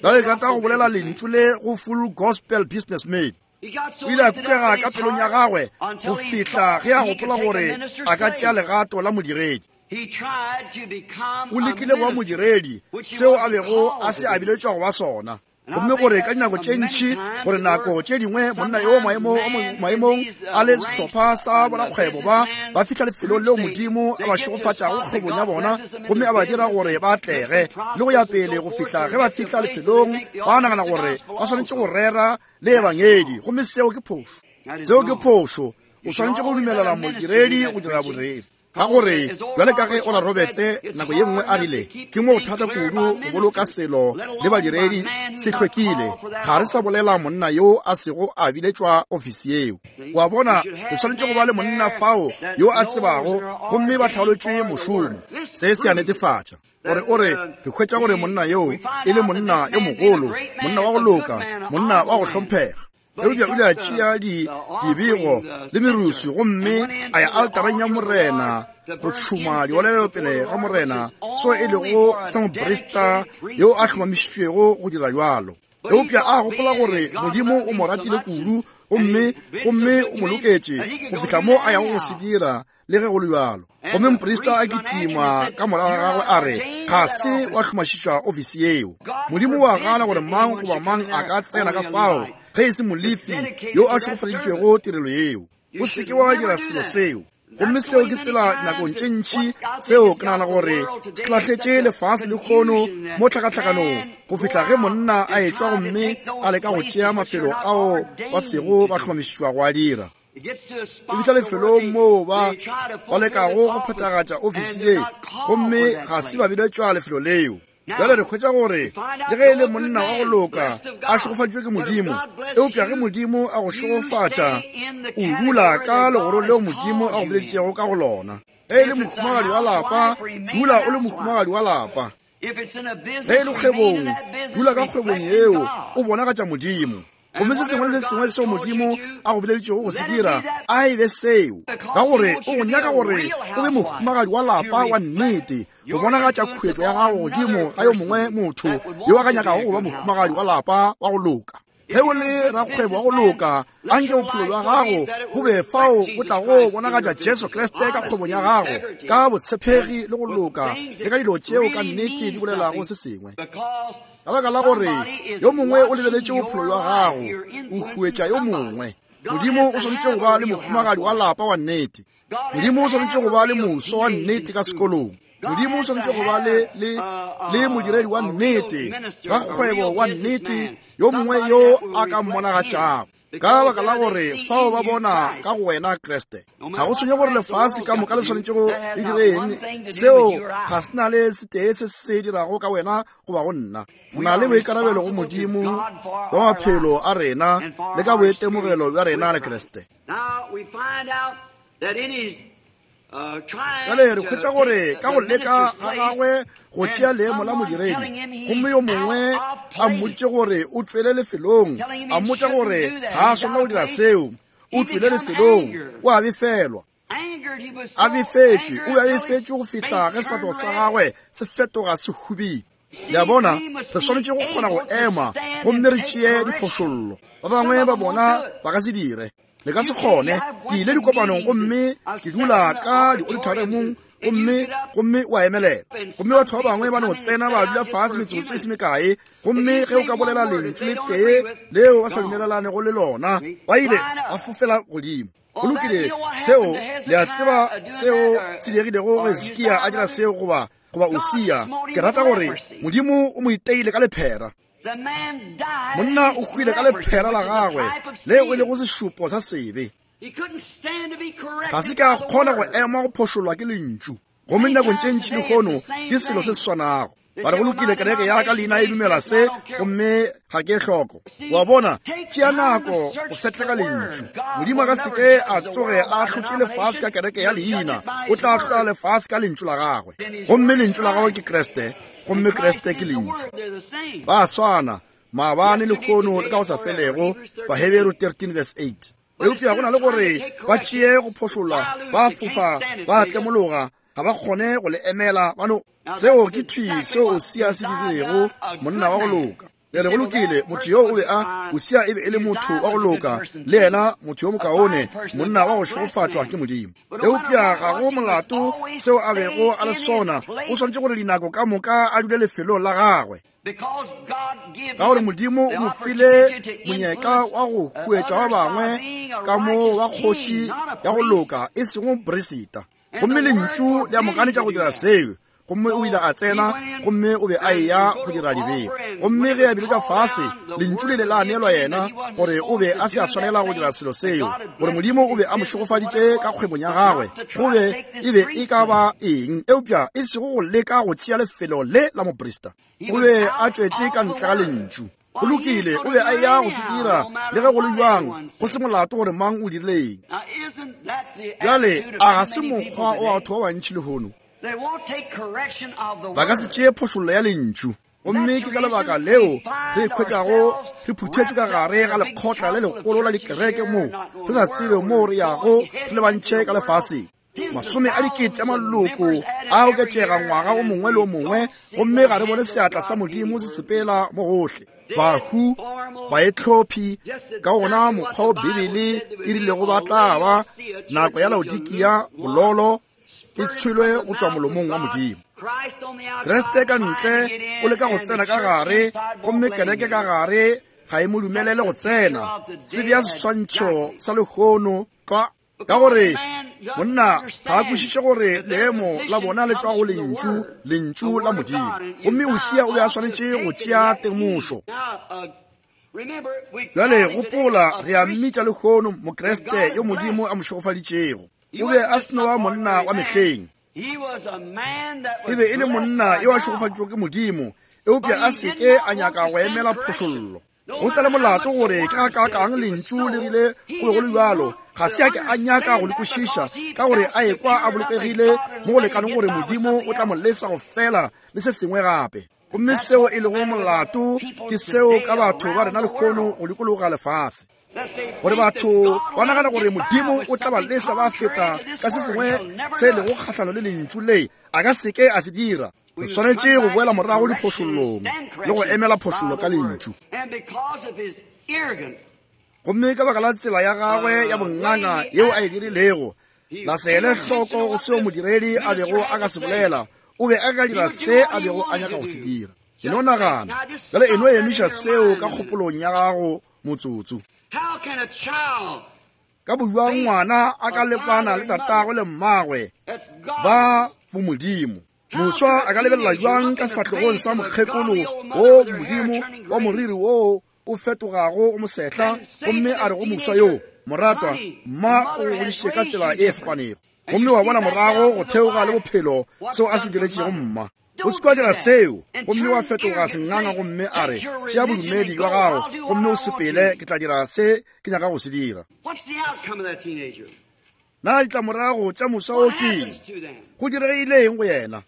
Bjale ke rata go bolela lentšu le go Full Gospel Businessman. O ile a kukega ka pelong ya gagwe go fihla ge a gopola gore a ka tšea legato la modiredi. O lekile go ba modiredi, seo a bego a se a biletšwa go ba sona. Gomme gore ka dinako tše ntši, gore nako tše dingwe monna yo maemong a le sehlopha sa borakgwebo ba ba fihla lefelong leo Modimo a ba šegofatšago kgwebong ya bona, gomme a ba dira gore ba atlege le go ya pele go fihla ge ba fihla lefelong ba nagana gore ba swanetše go rera le ebangedi, gomme seo ke phošo. Seo ke phošo. O swanetše go dumelela modiredi go dira boreri. Ka gore bjale ka ge Oral Roberts nako ye nngwe a rile, ke mo thata kudu go boloka selo le badiredi se hlwekile, ga re sa bolela monna yo a sego a biletšwa ofisi yeo. Wa bona, re swanetše go ba le monna fao yo a tsebago, gomme ba hlaolotšwe mošomo. Se se a netefatša gore o re re hwetša gore monna yo e le monna yo mogolo, monna wa go loka, monna wa go hlomphega. Eupša o ile a tšea di dibego le merusu gomme a ya altareng ya Morena go tšhuma diolelo pele ga Morena, so e lego sa moprista yo a hlomamišitšwego go dira bjalo. Eupša a gopola gore Modimo o mo ratile kudu gomme gomme o mo loketše go fihla mo a yago go se dira le ge go le bjalo. Gomme moprista a kitima ka morago ga gagwe a re, ga se wa hlomašišwa ofisi yeo. Modimo wa gana gore mang goba mang a ka tsena ka fao ge e se Molefi yo a šegofaditšwego tirelo yeo. O se ke wa dira selo seo. Gomme seo ke tsela nakong tše ntši seo ke nagana gore se lahletše lefase lehono mo tlhakatlhakanong go fihla ge monna a etšwa gomme a leka go tšea mafelo ao ba sego ba hlomamišwa go a dira. E fihla lefelong moo ba ba lekago go phethagatša ofisi ye gomme ga se ba biletšwa lefelo leo. Bjale re hwetša gore le ge e le monna wa go loka a šegofaditšwe ke Modimo, eupša ge Modimo a go šegofatša o dula ka legoro leo Modimo a go bileditšego ka go lona. Ge e le mohumagadi wa lapa, dula o le mohumagadi wa lapa. Ge e le kgwebong, dula ka kgwebong yeo o bonagatša Modimo. Gomme se sengwe le se sengwe seo Modimo a go bileditšego go se dira, a e be seo, ka gore o go nyaka gore o be mohumagadi wa lapa wa nnete, go bonagatša khuetšo ya gago godimo ga yo mongwe motho yo a ka nyakago go ba mohumagadi wa lapa wa go loka. Ge o le rakgwebo wa go loka, anke bophelo bja gago bo be fao bo tlago bonagatša Jesu Kriste ka kgwebong ya gago, ka botshepegi le go loka, le ka dilo tšeo ka nnete di bolelago se sengwe. Ka baka la gore yo mongwe o lebeletše bophelo bja gago, o huetša yo mongwe. Modimo o swanetše go ba le mohumagadi wa lapa wa nnete. Modimo o swanetše go ba le moso wa nnete ka sekolong. Modimo o swanetše go ba le le le modiredi wa nnete, rakgwebo wa nnete, yo mongwe yo a ka mmonagatšago. Ka baka la gore fao ba bona ka go wena Kriste. Ga go tshwenye gore lefase ka moka le swanetše go le direng, seo ga se na le setee se se dirago ka wena goba go nna. Re na le boikarabelo go Modimo bja maphelo a rena le ka boitemogelo bja rena le Kriste. Bjale re hwetša gore ka go leka ga gagwe go tšea leemo la modiredi, gomme yo mongwe a mmoditše gore o tšwele lefelong, a mmotša gore ga a swanela go dira seo, o tšwele lefelong, o a befelwa. A befetšwe, o be a befetšwe go fihla ge sefahlego sa gagwe se fetoga se hubile. Le a bona, re swanetše go kgona go ema gomme re tšee diphošollo. Ba bangwe ba bona ba ka se dire. Le ka se kgone. Ke ile dikopanong gomme ke dula ka di-auditoriumong gomme gomme o a emelela. Gomme batho ba bangwe ba no tsena ba dula fase metsotso e se mekae, gomme ge o ka bolela lentšu le tee leo ba sa dumelelanego le lona, ba ile ba fofela godimo. Go lokile, seo le a tseba seo se diregilego ge Hiskia a dira seo goba goba Usia. Ke rata gore Modimo o mo iteile ka lephera. Monna o hwile ka lephera la gagwe leo e lego sešupo sa sebe. Ga se ka kgona go ema go phošolwa ke lentšu. Gomme dinakong tše ntši lehono ke selo se se swanago. Ba re go lokile, kereke ya ka leina e dumela se gomme ga ke hloko. Wa bona, tšea nako go fetleka lentšu. Modimo a ka se ke a tsoge a ahlotše lefase ka kereke ya leina, o tla ahlola lefase ka lentšu la gagwe. Gomme lentšu la gagwe ke Kriste, gomme Kriste ke lentšu. Ba swana maabane, lehono le ka go sa felego. Baheberu thirteen verse eight. Eupša go na le gore ba tšee go phošollwa, ba fofa, ba tlemologa, ga ba kgone go le emela. Ba no seo ke thwi seo Usia se dirilego, monna wa go loka. Le re go lokile, motho yo o be a Usia e be e le motho wa go loka, le yena motho yo mokaone, monna wa go šegofatšwa ke Modimo. Eupša ga go molato seo a bego a le sona, o swanetše gore dinako ka moka a dule lefelong la gagwe. Ka gore Modimo o mo file monyetla wa go huetša ba bangwe ka mo wa kgoši ya go loka, e sego moperisita. Gomme lentšu le a mo ganetša go dira seo. Gomme o ile a tsena, gomme o be a eya go dira dibego. Gomme ge a bile ka fase, lentšu le le la neelwa yena gore o be a se a swanela go dira selo seo, gore Modimo o be a mo šegofaditše ka kgwebong ya gagwe, go be e be e ka ba eng, eupša e sego go leka go tšea lefelo le la moprista. O be a tšwetše ka ntle ga lentšu. Go lokile, o be a eya go se dira le ge go le bjang, go se molato gore mang o dirileng. Bjale a ga se mokgwa wa batho ba bantši lehono? Ba ka se tšee phošollo ya lentšu. Gomme ke ka lebaka leo re ikhwetšago re phuthetše ka gare ga lekgotla le legolo la dikereke moo re sa tsebe moo re yago, re lebantšhe ka lefaseng. Masome a dikete a maloko a oketšega ngwaga o mongwe le o mongwe, gomme ga re bone seatla sa Modimo se sepela mo gohle. Bahu, baetlhophi, ka gona mokgwa o Bibele e rilego ba tla ba nako ya Laodikia, bololo e tshwelwe go tšwa molomong wa Modimo. Kriste ka ntle o leka go tsena ka gare, gomme kereke ka gare ga e mo dumelele go tsena. Se bea seswantšho sa lehono ka ka gore monna ga a kwešiše gore leemo la bona le tšwa go lentšu, lentšu la Modimo. Gomme Usia o be a swanetše go tšea temošo. Bjale gopola, re a mmitša lehono Mokriste yo Modimo a mo šegofaditšego. O be a se no ba monna wa mehleng. E be e le monna yo a šegofaditšwego ke Modimo, eupša a se ke a nyaka go emela phošollo. Go se na le molato gore ke gakaakang lentšu le rile go be go le bjalo, ga se a ke a nyaka go le kwešiša, ka gore a ekwa a bolokegile mo go lekaneng gore Modimo o tla mo lesa go fela le se sengwe gape. Gomme seo e lego molato ke seo ka batho ba rena lehono go dikologa lefase, gore batho ba nagana gore Modimo o tla ba lesa ba feta ka se sengwe se lego kgahlano le lentšu le, a ka se ke a se dira. Re swanetše go boela morago diphošollong le go emela phošollo ka lentšu. Gomme ka baka la tsela ya gagwe ya bonganga yeo a e dirilego, la se ele hloko go seo modiredi a bego a ka se bolela, o be a ka dira se a bego a nyaka go se dira. E no nagana bjale, e no emiša seo ka kgopolong ya gago motsotso. Ka bojwang ngwana a ka lepana le tatagwe le mmagwe ba bomodimo? Moswa a ka lebelela jwang ka sefahlegong sa mokgekolo wo Modimo wa moriri wo o fetogago go mosehla, gomme a re go moswa yo, moratwa, mma o go godišitše ka tsela e fapanego, gomme wa bona morago go theoga le bophelo seo a se diretšego mma. O se kwa dira seo, gomme wa fetoga senganga, gomme a re, tšea bodumedi bja gago gomme o sepele, ke tla dira se ke nyaka go se dira. Na ditlamorago tša moswa o ke go diregile eng go yena?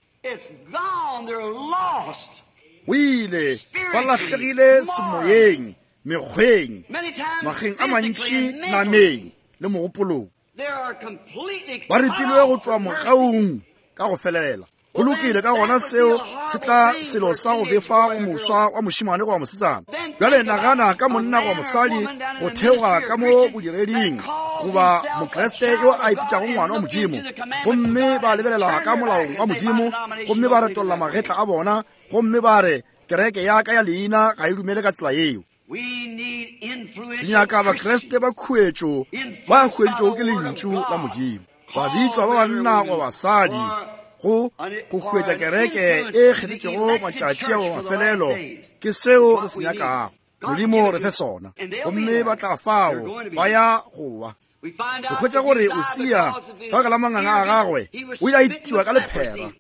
O ile ba lahlegile semoyeng, mekgweng, makgeng a mantši, nameng le mogopolong. Ba ripilwe go tšwa mogaung ka go felela. Go lokile, ka gona seo se tla selo sa go befa go moswa wa mošemane goba mosetsana. Bjale nagana ka monna goba mosadi go theoga ka mo bodireding, goba Mokriste yo a ipitšago ngwana wa Modimo, gomme ba lebelela ka molaong wa Modimo, gomme ba retolla magetla a bona, gomme ba re, kereke ya ka ya leina ga e dumele ka tsela yeo. Re nyaka Bakriste ba khuetšo ba hweditšwego ke lentšu la Modimo, ba bitšwa ba banna goba basadi go go hwetša kereke e kgethetšego matšatši a mafelelo. Ke seo re se nyakago. Modimo re fe sona. Gomme ba tla fao ba ya go wa. Go hwetša gore Usia ka baka la manganga a gagwe o ile a itiwa ka lephera.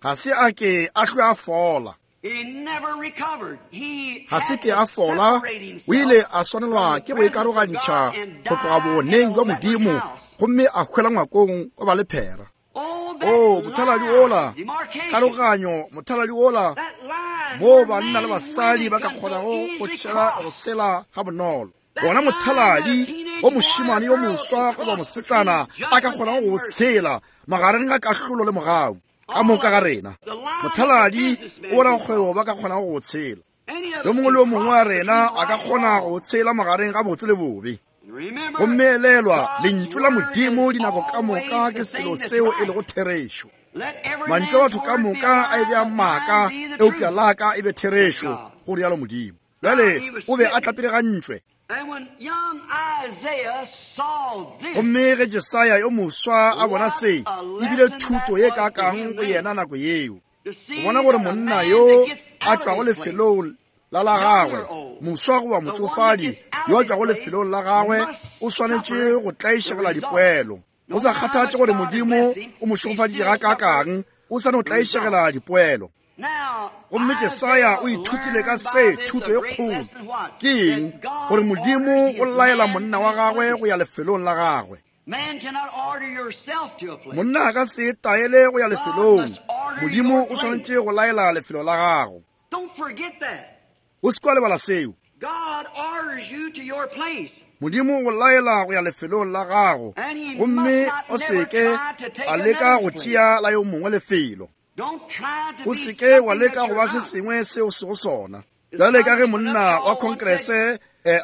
Ga se a ke a hlwe a fola. Ga se ke a fola, o ile a swanelwa ke go ikarogantšha go tloga boneng bja Modimo, gomme a hwela ngwakong wa ba lephera. O mothaladi ola, karoganyo, mothaladi ola moo banna le basadi ba ka kgonago go tšhela go tshela ga bonolo. Bona mothaladi o mošemane yo moswa goba mosetsana a ka kgonago go tshela magareng ga kahlolo le mogau ka moka ga rena. Mothaladi o rakgwebo ba ka kgonago go tshela. Yo mongwe le yo mongwe wa rena a ka kgona go tshela magareng ga botse le bobe. Gomme elelwa, lentšu la Modimo dinako ka moka ke selo seo e lego therešo. Mantšu a batho ka moka a e bea maaka, eupša la ka e be therešo, go rialo Modimo. Bjale o be a tlapilegantšwe. Gomme ge Jesaya yo moswa a bona se, e bile thuto ye kakang go yena nako yeo. Go bona gore monna yo a tšwago lefelong la la gagwe, moswa goba motšofadi yo a tšwago lefelong la gagwe, o swanetše go tlaišegela dipoelo. Go sa kgathatše gore Modimo o mo šegofaditše gakaakang, o sa no tlaišegela dipoelo. Gomme Jesaya o ithutile ka se thuto ye kgolo. Ke eng? Gore Modimo o laela monna wa gagwe go ya lefelong la gagwe. Monna a ka se taele go ya lefelong. Modimo o swanetše go laela lefelo la gago. O se kwa lebala seo. Modimo o laela go ya lefelong la gago, gomme o se ke a leka go tšea la yo mongwe lefelo. O se ke wa leka go ba se sengwe seo se go sona. Bjale ka ge monna wa Congress eh,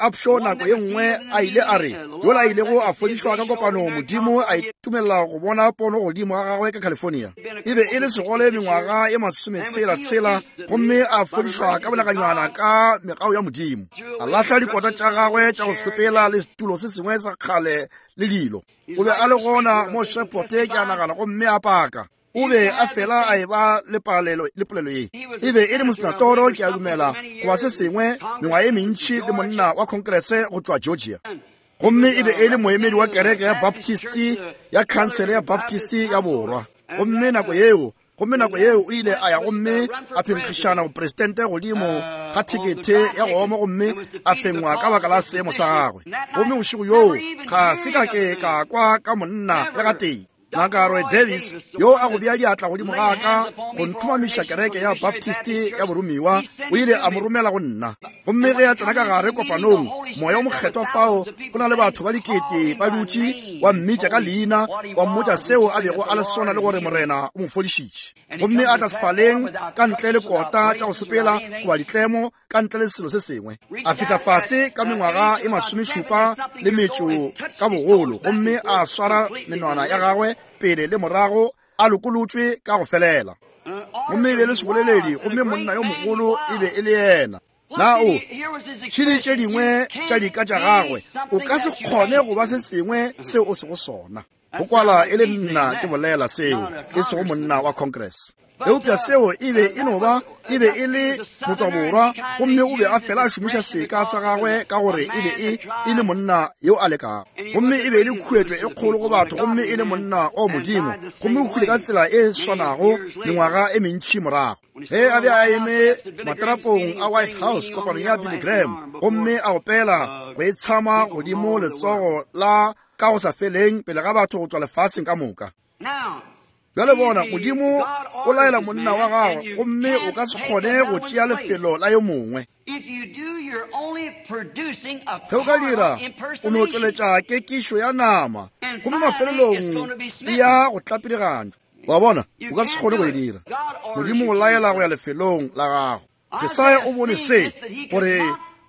Upshaw nako ye nngwe a ile a re, yola a ilego a fodišwa ka kopano, Modimo a itumelela go bona pono godimo ga gagwe ka California. E be e le segole mengwaga ye masometshela-tshela, gomme a fodišwa ka bolakanywana ka megao ya Modimo. A lahla dikota tša gagwe tša go sepela le setulo se sengwe sa kgale le dilo. O be a le gona mo Shreveport, ke a nagana, gomme a paka. O be a fela a eba le palelo le polelo ye. E be e le mosenatoro, ke a dumela, goba se sengwe, mengwaga ye mentši, le monna wa Congress go tšwa Georgia. Gomme e be e le moemedi wa kereke ya Baptist, ya khansele ya Baptist ya Borwa. Gomme nako yeo, gomme nako yeo o ile a ya gomme a phenkgišana bopresidente godimo ga thekethe ya go oma, gomme a fengwa ka baka la seemo sa gagwe. Gomme bošego yoo ga se ka ke ka kwa ka monna le gatee. Ngaka Roy Davis, yo a go bea diatla godimo ga ka go nthomamiša kereke ya Baptist ya boromiwa, o ile a mo romela go nna. Gomme ge a tsena ka gare kopanong, moya o mokgethwa fao go na le batho ba dikete ba dutše, wa mmitša ka leina, wa mmotša seo a bego a le sona le gore Morena o mo fodišitše. Gomme a tla sefaleng ka ntle le kota tša go sepela goba ditlemo, ka ntle le selo se sengwe. A fihla fase ka mengwaga e masomešupa le metšo ka bogolo, gomme a swara menwana ya gagwe pele le morago, a lokolotšwe ka go felela. Gomme e be le seboleledi, gomme monna yo mogolo e be e le yena. Na o tšhile tše dingwe tša dika tša gagwe, o ka se kgone go ba se sengwe seo o sego sona. Go kwala e le nna ke bolela seo, e sego monna wa Congress. Eupša seo e be e no ba, e be e le motswaborwa, gomme o be a fela a šomiša seka sa gagwe ka gore e be e e le monna yo a lekago. Gomme e be e le khuetšo e kgolo go batho, gomme e le monna o Modimo, gomme o hwile ka tsela e swanago mengwaga e mentši morago. Ge a be a eme matrapong a White House kopanong ya Billy Graham, gomme a opela go e tshama godimo letsogo la ka go sa feleng pele ga batho go tšwa lefaseng ka moka. Bjale bona, Modimo o laela monna wa gagwe, gomme o ka se kgone go tšea lefelo la yo mongwe. Ge o ka dira, o no tšweletša kekišo ya nama, gomme mafelelong e ya go tlapirigantšwa. Wa bona, o ka se kgone go e dira. Modimo o laela go ya lefelong la gago. Jesaya o bone se, gore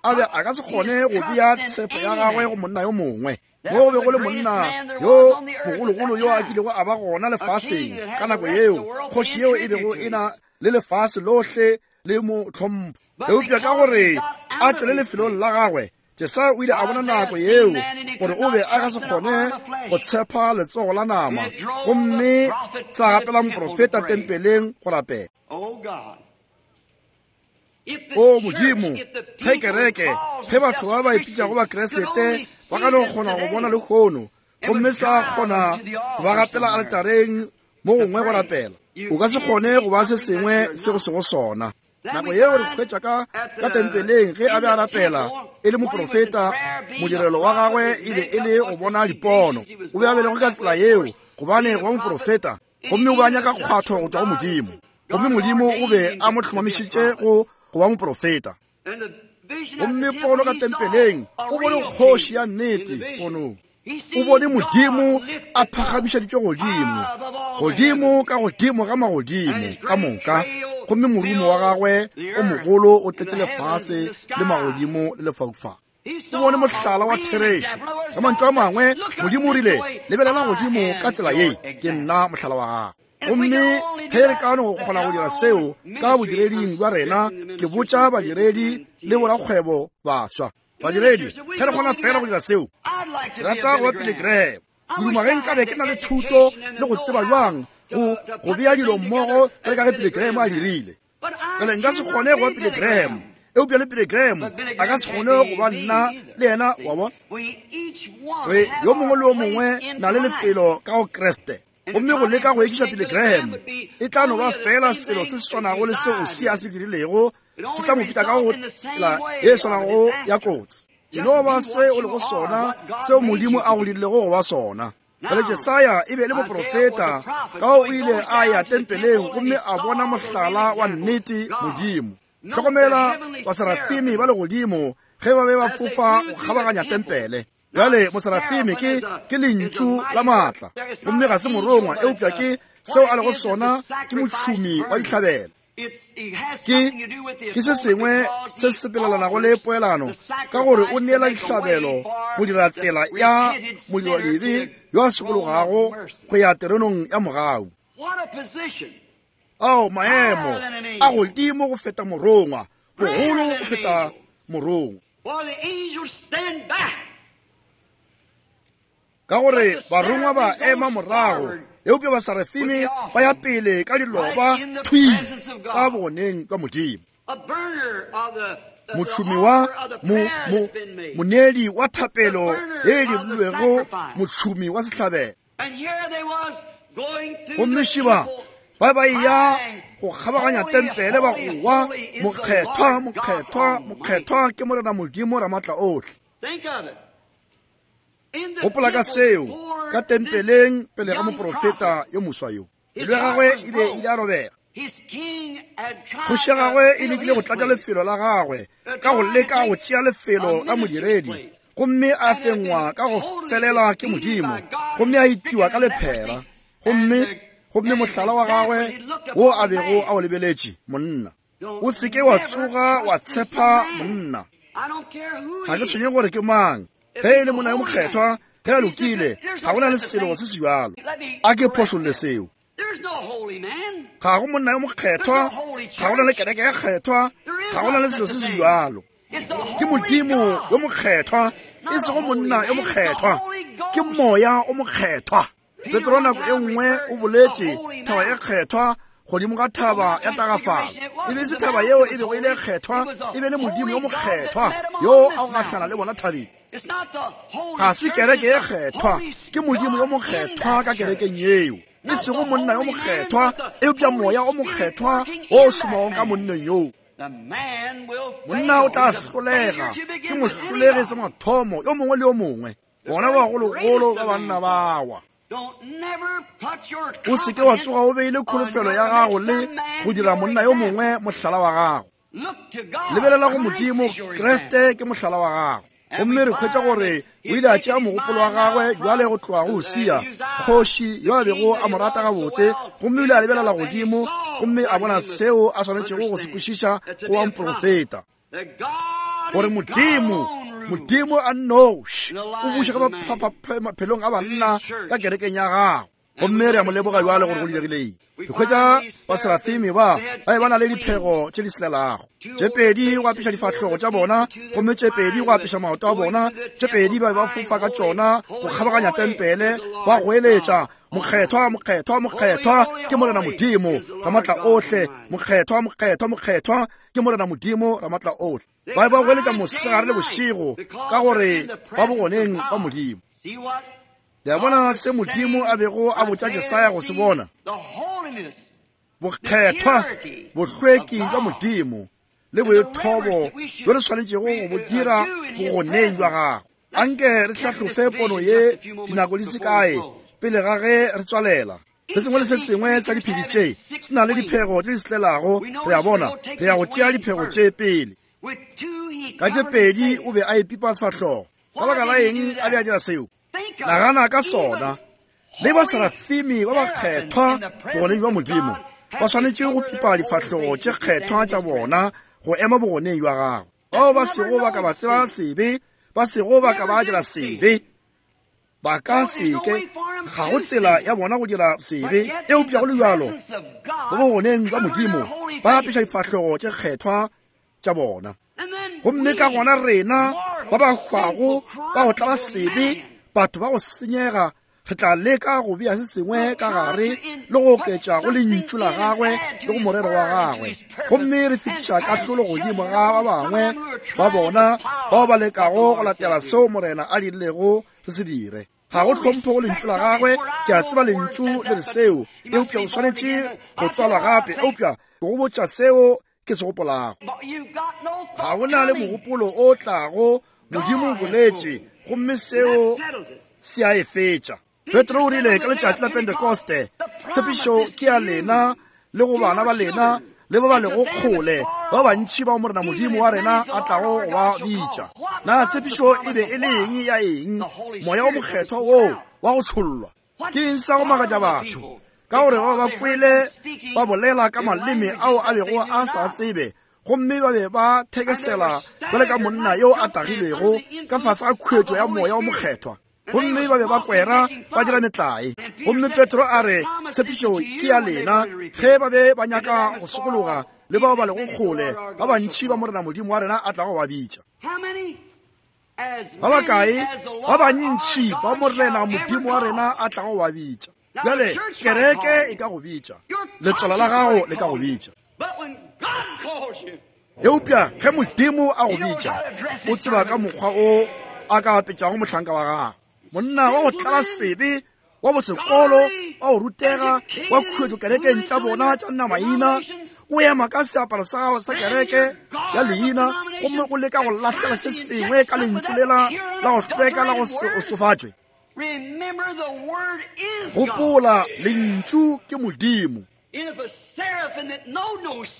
a be a ka se kgone go bea tshepo ya gagwe go monna yo mongwe. Mo go be go le monna yo mogologolo yo a kilego a ba gona lefaseng ka nako yeo, kgoši yeo e bego e na le lefase lohle le mo tlhompho. Eupša ka gore a tšwele lefelong la gagwe, Jesaya o ile a bona nako yeo gore o be a ka se kgone go tshepa letsogo la nama, gomme sa gapela moprofeta tempeleng go rapela. O Modimo, ge kereke, ge batho ba ba ipitšago ba Kriste ba ka no kgona go bona lehono, gomme sa kgona go ba gapela aletareng mo gongwe go rapela, o ka se kgone go ba se sengwe se go sego sona. Nako yeo re hwetša ka ka tempeleng ge a be a rapela e le moprofeta, modirelo wa gagwe e be e le go bona dipono. O be a belegwe ka tsela yeo gobane go ba moprofeta, gomme o be a nyaka kgwatho go tšwa go Modimo. Gomme Modimo o be a mo hlomamišitše go go ba moprofeta. Gomme pono ka tempeleng, o bone kgoši ya nnete ponong. O bone Modimo a phagamišeditšwe godimo, godimo ka godimo ga magodimo ka moka, gomme morumo wa gagwe o mogolo o tletše lefase le magodimo le lefaufau. O bone mohlala wa therešo. Ka mantšu a mangwe, Modimo o rile, lebelela godimo ka tsela ye, ke nna mohlala wa gago. Gomme ge re ka no go kgona go dira seo ka bodireding bja rena, ke botša badiredi le borakgwebo baswa. Badiredi, ge re kgona fela go dira seo, ke rata go ba Billy Graham. Ke duma ge nkabe ke na le thuto le go tseba bjang go go bea dilo mmogo bjale ka ge Billy Graham a dirile. Bjale nka se kgone go ba Billy Graham, eupša le Billy Graham a ka se kgone go ba nna le yena, wa bona. Re yo mongwe le yo mongwe na le lefelo ka go Kriste. Gomme go leka go ekiša Billy Graham e tla no ba fela selo se se swanago le seo Usia a se dirilego, se tla mo fihla ka go tsela e swanago ya kotsi. E no ba se o lego sona, seo Modimo a go dirilego go ba sona. Bjale Jesaya e be e le moprofeta, ka o ile a ya tempeleng gomme a bona mohlala wa nnete Modimo. Hlokomela baserafimi ba legodimo ge ba be ba fofa go kgabaganya tempele. Bjale moserafimi ke ke lentšu la maatla, gomme ga se morongwa, eupša ke seo a lego sona, ke mošomi wa dihlabelo. Ke ke se sengwe se se sepelelanago le poelano, ka gore o neela dihlabelo go dira tsela ya modiradibe yo a sokologago go ya terenong ya mogau. Ao maemo a godimo go feta morongwa, bogolo go feta morongwa, ka gore barongwa ba ema morago, eupša baserafimi ba ya pele ka diloba thwi ka bogoneng bja Modimo. Mošomi wa moneedi wa thapelo ye e dirilwego, mošomi wa sehlabelo. Gomme šiba ba ba ya go kgabaganya tempele ba goa, mokgethwa, mokgethwa, mokgethwa ke Morena Modimo Ramatla ohle. Gopola ka seo ka tempeleng pele ga moprofeta yo moswa yo. Pelo ya gagwe e be ile a robega. Kgoši ya gagwe e lekile go tlatša lefelo la gagwe ka go leka go tšea lefelo la modiredi, gomme a fengwa ka go felela ke Modimo, gomme a itiwa ka lephera, gomme gomme mohlala wa gagwe wo a bego a o lebeletše, monna. O se ke wa tsoga wa tshepa monna. Ga ke tshwenye gore ke mang. Ge e le monna yo mokgethwa, ge a lokile, ga go na le selo se se bjalo. A ke phošolle seo. Ga go monna yo mokgethwa, ga go na le kereke ya kgethwa, ga go na le selo se se bjalo. Ke Modimo yo mokgethwa, e sego monna yo mokgethwa, ke moya o mokgethwa. Petro nako e nngwe o boletše thaba e kgethwa godimo ga thaba ya tagafalo. E be se thaba yeo e bego e le kgethwa, e be le Modimo yo mokgethwa yo a go gahlana le bona thabeng. Ga se kereke e kgethwa, ke Modimo yo mokgethwa ka kerekeng yeo, e sego monna yo mokgethwa, eupša moya o mokgethwa o šomago ka monneng yoo. Monna o tla hlolega, ke mohlolegi sa mathomo yo mongwe le yo mongwe. Bona bagologolo ba banna bawa. O se ke wa tsoga o beile kholofelo ya gago le go dira monna yo mongwe mohlala wa gago. Lebelela go Modimo, Kriste ke mohlala wa gago. Gomme re hwetša gore o ile a tšea mogopolo wa gagwe bjale go tloga go Usia, kgoši yo a bego a mo rata gabotse, gomme o ile a lebelela godimo gomme a bona seo a swanetšego go se kwešiša go wa moprofeta, gore Modimo, Modimo a nnoši o buša ka maphelong a banna ka kerekeng ya gagwe. Gomme re a mo leboga bjale gore go diregile. Re hwetša baserafimi ba ba be ba na le diphego tše di selelago, tše pedi go apeša difahlogo tša bona, gomme tše pedi go apeša maoto a bona, tše pedi ba be ba fofa ka tšona go kgabaganya tempele, ba goeletša, mokgethwa, mokgethwa, mokgethwa ke Morena Modimo Ramatla ohle, mokgethwa, mokgethwa, mokgethwa ke Morena Modimo Ramatla ohle. Ba be ba goeletša mosegare le bošego ka gore ba bogoneng ba Modimo. Le a bona se Modimo a bego a botša Jesaya go se bona? Bokgethwa, bohlweki bja Modimo le boithobo bjo re swanetšego go bo dira bogoneng bja gagwe. Anke re hlahlofe pono ye dinako di se kae pele ga ge re tswalela. Se sengwe le se sengwe sa diphedi tše se na le diphego tše di selelago. Re a bona, re ya go tšea diphego tše pele. Ka tše pedi o be a ipipa sefahlogo. Ka baka la eng a be a dira seo? Nagana ka sona. Le baserafimi ba bakgethwa bogoneng bja Modimo ba swanetše go pipa difahlogo tše kgethwa tša bona go ema bogoneng bja gagwe. Bao ba sego ba ka ba tseba sebe, ba sego ba ka ba dira sebe, ba ka seke, ga go tsela ya bona go dira sebe, eupša go le bjalo ba bogoneng bja Modimo ba apeša difahlogo tše kgethwa tša bona. Gomme ka gona rena ba ba hwago ba go tlala sebe, batho ba go senyega, re tla leka go bea se sengwe ka gare le go oketša go lentšu la gagwe le go morero wa gagwe, gomme re fetiša kahlolo godimo ga ba bangwe ba bona bao ba lekago go latela seo Morena a dirilego re se dire. Ga go hlompho go lentšu la gagwe. Ke a tseba lentšu le re seo, eupša o swanetše go tswalwa gape, eupša go botša seo ke se gopolago. Ga go na le mogopolo o tlago. Modimo o boletše, gomme seo se a e fetša. Petro o rile ka letšatši la Pentekoste, tshepišo ke ya lena le go bana ba lena le ba ba lego kgole, ba bantši bao Morena Modimo wa rena a tlago go ba bitša. Na tshepišo e be e le eng ya eng? Moya o Mokgethwa woo wa go tshollwa. Ke eng sa go makatša batho? Ka gore ba ba kwele ba bolela ka maleme ao a bego a sa tsebe, gomme ba be ba thekesela bjale ka monna yo a tagilwego ka fase ga khuetšo ya Moya o Mokgethwa, gomme ba be ba kwera ba dira metlae. Gomme Petro a re, tshepišo ke ya lena ge ba be ba nyaka go sokologa le bao ba lego kgole, ba bantši ba Morena Modimo wa rena a tlago ba bitša. Ba bakae? Ba bantši ba Morena Modimo wa rena a tlago ba bitša. Bjale kereke e ka go bitša, letswalo la gago le ka go bitša, eupša ge Modimo a go bitša, o tseba ka mokgwa o a ka apetšago mohlanka wa gagwe. Monna wa go tlala sebe, wa bosekolo, wa go rutega, wa khuetšo kerekeng tša bona tša namaina, o ema ka seaparo sa gago sa kereke ya leina, gomme o leka go lahlela se sengwe ka lentšu lela la go hlweka la go se otsofatšwe. Gopola, lentšu ke Modimo.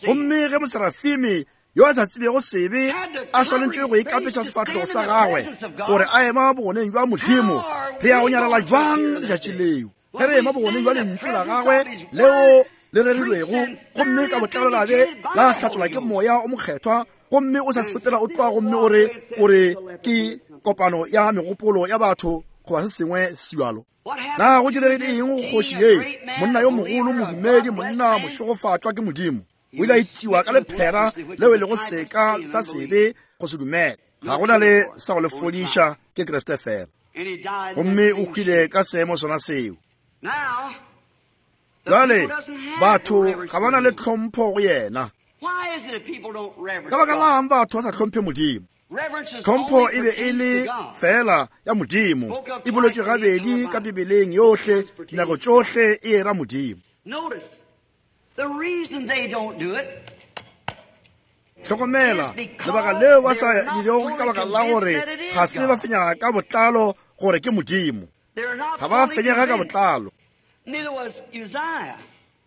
Gomme ge moserafimi yo a sa tsebego sebe a swanetše go ikapetša sefahlego sa gagwe gore a ema bogoneng bja Modimo, re ya go nyarela jwang letšatši leo ge re ema bogoneng bja lentšu la gagwe leo le rerilwego, gomme ka botlalo la be la hlatsolwa ke Moya o Mokgethwa, gomme o sa sepela o tloga gomme o re o re ke kopano ya megopolo ya batho goba se sengwe se bjalo. Na go diregile eng go kgoši ye, monna yo mogolo, modumedi, monna mošegofatšwa ke Modimo? O ile a itiwa ka lephera leo e lego seka sa sebe go se dumele. Ga go na le sa go le fodiša, ke Kriste fela. Gomme o hwile ka seemo sona seo. Bjale batho ga ba na le tlhompho go yena. Ka baka lang batho ba sa hlomphe Modimo? Tlhompho e be e le fela ya Modimo, e bolotšwe gabedi ka Bibeleng yohle, dinako tšohle e era Modimo. Hlokomela, lebaka leo ba sa dirego ke ka baka la gore ga se ba fenyega ka botlalo gore ke Modimo. Ga ba fenyega ka botlalo.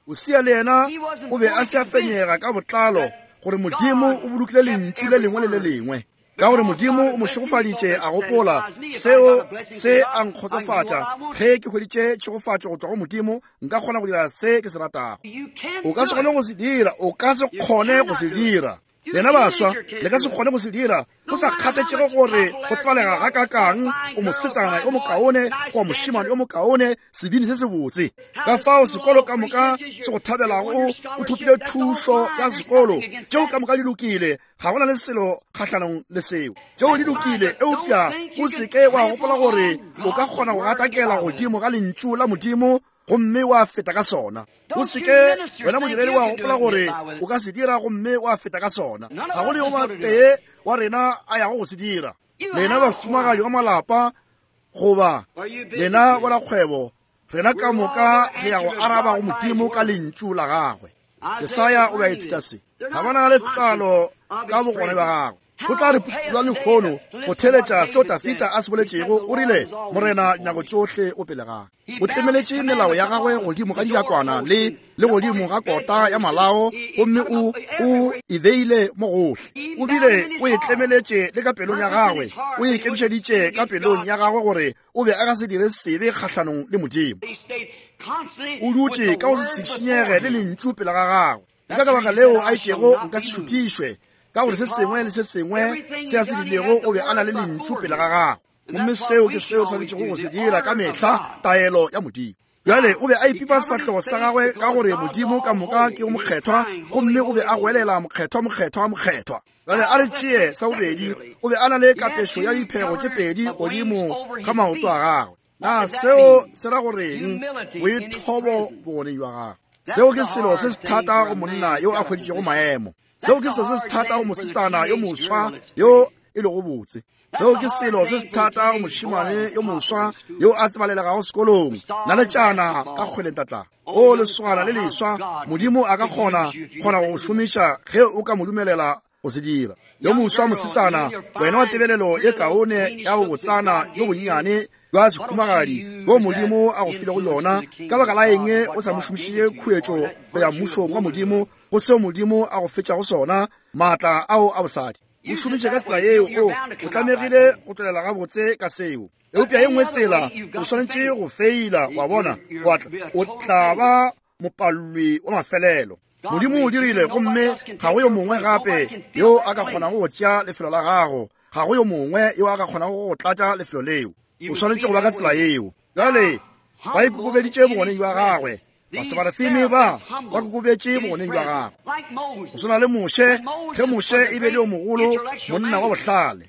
Usia le yena o be a se a fenyega ka botlalo gore Modimo o bolokile lentšu le lengwe le le lengwe. Ka gore Modimo o mo šegofaditše, a gopola seo se a nkgotsofatša. Ge ke hweditše tšhegofatšo go tšwa go Modimo, nka kgona go dira se ke se ratago. O ka se kgone go se dira, o ka se kgone go se dira. Lena baswa, le ka se kgone go se dira. Go sa kgathetšego gore go tsebalega ga kakang, o mosetsana yo mokaone goba mošemane yo mokaone, sebini se sebotse. Ka fao sekolo ka moka se go thabelago, o thopile thušo ya sekolo. Tšeo ka moka di lokile, ga go na le selo kgahlanong le seo. Tšeo di lokile, eupša o se ke wa gopola gore o ka kgona go gatakela godimo ga lentšu la Modimo gomme wa feta ka sona. O se ke wena modiredi wa gopola gore o ka se dira gomme wa feta ka sona. Ga go le yo matee wa rena a yago go se dira. Lena bahumagadi wa malapa goba lena borakgwebo, rena ka moka re ya go araba go Modimo ka lentšu la gagwe. Jesaya o be a ithuta se. Ga ba na le tlalo ka bogona bja gagwe. Go tla re putula lehono go theletša seo Dafida a se boletšego. O rile, Morena dinako tšohle o pele ga. O tlemeletše melao ya gagwe godimo ga dijakwana le le godimo ga kota ya malao, gomme o o e beile mo gohle. O bile o e tlemeletše le ka pelong ya gagwe, o e ikemišeditše ka pelong ya gagwe gore o be a ka se dire sebe kgahlanong le Modimo. O dutše ka go se šišinyege le lentšu pele ga gagwe. Ke ka baka leo a itšego nka se šuthišwe, ka gore se sengwe le se sengwe se a se dirilego o be a na le lentšu pele ga gagwe. Gomme seo ke seo swanetšego go se dira ka mehla, taelo ya Modimo. Bjale o be a ipipa sefahlego sa gagwe ka gore Modimo ka moka ke o mokgethwa, gomme o be a goelela mokgethwa, mokgethwa, mokgethwa. Bjale a re tšee sa bobedi, o be a na le kapešo ya diphego tše pedi godimo ga maoto a gagwe. Na seo se ra goreng? Boithobo bogoneng bja gagwe. Seo ke selo se se thata go monna yo a hweditšego maemo. Seo ke selo se se thata go mosetsana yo moswa yo e lego botse. Seo ke selo se se thata go mošemane yo moswa yo a tsebalelegago sekolong. Naletšana ka kgweleng tatla. O leswana le leswa, Modimo a ka kgona kgona go šomiša ge o ka mo dumelela go se dira. Yo moswa mosetsana, wena wa tebelelo ye kaone ya go botsana yo bonnyane bja sehumagadi bjo Modimo a go filego yona, ka baka la eng o sa mo šomišitše khuetšo go ya mmušong wa Modimo go seo Modimo a go fetšago sona, maatla ao a bosadi? O šomiše ka tsela yeo, o o tlamegile go tswelela gabotse ka seo. Eupša ye nngwe tsela o swanetše go feila, wa bona, wa tla o tla ba mopalwi wa mafelelo. Modimo o dirile, gomme ga go yo mongwe gape yo a ka kgonago go tšea lefelo la gago, ga go yo mongwe yo a ka kgonago go tlatša lefelo leo. O swanetše go ba ka tsela yeo. Bjale ba ikokobeditše bogoneng bja gagwe, Basebarafime ba ba kokobetše bogoneng bja gagwe. Go swana le Moshe, ge Moshe e be le yo mogolo, monna wa bohlale.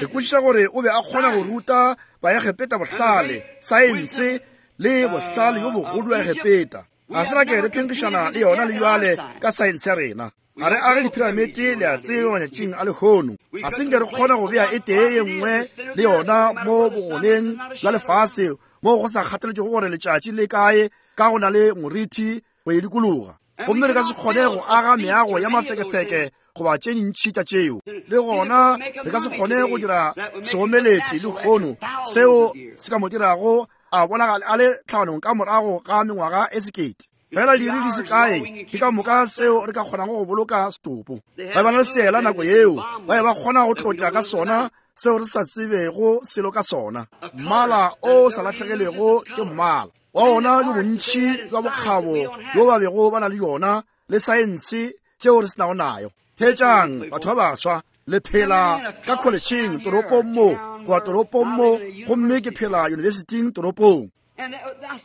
Re kwešiša gore o be a kgona go ruta Baegepeta bohlale, saense le bohlale yo bogolo bja Egepeta. Ga se ra ke re phenkgišana le yona le bjale ka saense ya rena. Ga re age diphiramete, le a tseba, matšatšing a lehono. Ga se nke re kgona go bea e tee ye nngwe le yona mo bogoneng bja lefase mo go sa kgathaletšego gore letšatši le kae, ka go na le morithi go e dikologa. Gomme re ka se kgone go aga meago ya mafekefeke goba tše dintši tša tšeo. Le gona re ka se kgone go dira seomeletši lehono seo se ka mo dirago a bonagale a le tlhabanong ka morago ga mengwaga e sekete. Fela diiri di se kae ke ka moka seo re ka kgonago go boloka setopo. Ba ba na le seela nako yeo, ba be ba kgona go tlotla ka sona seo re sa tsebego selo ka sona. Mmala o sa lahlegelego ke mmala wa ona le bontši bja bokgabo bjo ba bego ba na le yona le saense tšeo re se nago nayo. Theetšang, batho ba baswa, le phela ka kholetšheng toropong mo goba toropong mo, gomme ke phela yunibesithing toropong.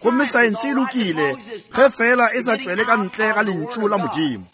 Gomme saense e lokile ge fela e sa tšwele ka ntle ga lentšu la Modimo.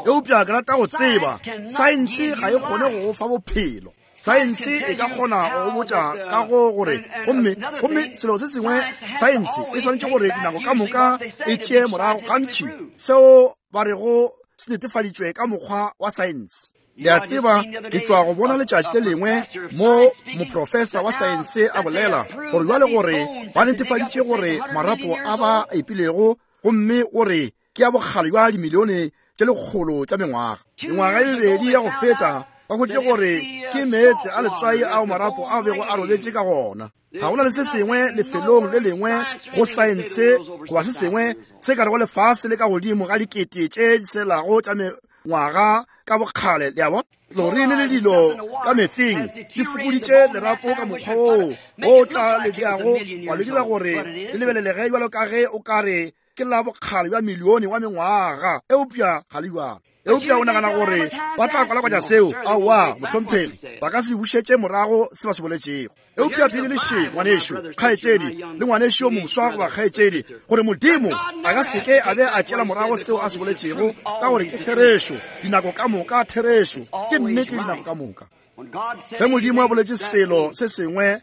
Eupša ke rata go tseba, saense ga e kgone go go fa bophelo. Saense e ka kgona go botša ka go gore, gomme gomme selo se sengwe, saense e swanetše gore dinako ka moka e tšee morago gantši seo ba rego se netefaditšwe ka mokgwa wa saense. Le a tseba, ke tšwa go bona letšatši le lengwe mo moprofesa wa saense a bolela gore bjale gore ba netefaditše gore marapo a ba epilego, gomme o re ke a bokgale bja dimilione tše lekgolo tša mengwaga. Mengwaga e mebedi ya go feta ba hweditše gore ke meetse a letswai ao marapo a bego a robetše ka gona. Ga go na le se sengwe lefelong le lengwe go saense goba se sengwe se ka rego lefase le ka godimo ga dikete tše di selelago tša mengwaga ka bokgale. Le a bona, tlorine le dilo ka metsing di fokoditše lerapo ka mokgwa woo o tla le diago wa le dira gore le lebelelege bjalo ka ge o ka re ke la bokgale bja milione wa mengwaga, eupša ga le bjalo. Eupša o nagana gore ba tla kwalakwatša seo? Aowa, mohlomphegi, ba ka se bušetše morago se ba se boletšego. Eupša Bibele še, ngwanešo, kgaetšedi, le ngwanešo yo moswa goba kgaetšedi, gore Modimo a ka se ke a be a tšeela morago seo a se boletšego, ka gore ke therešo dinako ka moka, therešo ke nnete dinako ka moka. Ge Modimo a boletše selo se sengwe,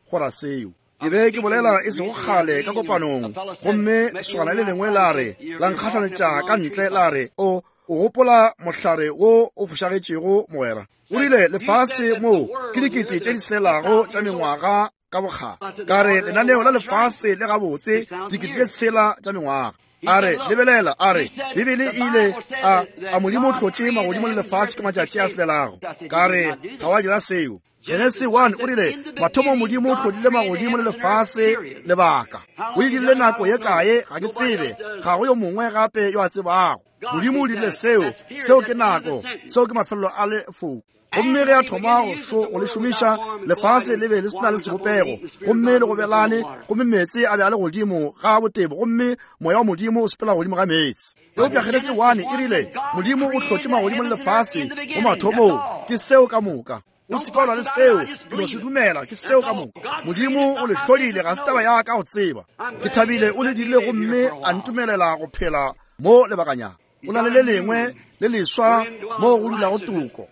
go ra seo. Ke be ke bolela e sego kgale ka kopanong, gomme lesogana le lengwe la re, la nkgahlanetša ka ntle, la re, o o gopola mohlare wo o fošagetšego, mogwera? O rile, lefase mo ke dikete tše di selelago tša mengwaga ka bokgale. Ka re, lenaneo la lefase le gabotse dikete tše tshela tša mengwaga. A re, lebelela, a re, Bibele e ile a, a Modimo o hlotše magodimo le lefase ka matšatši a selelago. Ka re, ga wa dira seo. Genesi one o rile, mathomo Modimo o hlodile magodimo le lefase lebaka. O e dirile nako ye kae, ga ke tsebe, ga go yo mongwe gape yo a tsebago. Modimo o dirile seo, seo ke nako, seo ke mafelelo a lefoko. Gomme ge a thoma go le šomiša, lefase le be le se na le sebopego, gomme le gobelane, gomme meetse a be a le godimo ga botebo, gomme moya wa Modimo o sepela godimo ga meetse. Eupša Genesi one e rile, Modimo o hlotše magodimo le lefase mo mathomong, ke seo ka moka. O se kwalwa le seo, ke no se dumela, ke seo ka moka. Modimo o le hlodile, ga se taba ya ka go tseba. Ke thabile o le dirile gomme a ntumelela go phela mo lebakanyana. O na le le lengwe le leswa mo go dulago toko.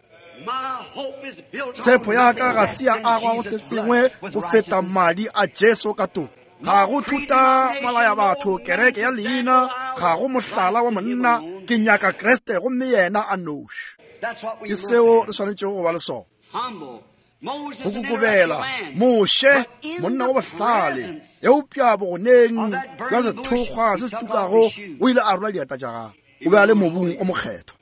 Tshepo ya ka ga se ya agwa go se sengwe go feta madi a Jesu ka toko. Ga go thuta malaya batho, kereke ya leina, ga go mohlala wa monna, ke nyaka Kriste gomme yena a noši. Ke seo re swanetšego go ba le sona. Go kokobela, Moshe, monna wa bohlale, eupša bogoneng bja sethokgwa se se tukago, o ile a rola diatla tša gagwe. O be a le mobung o mokgethwa.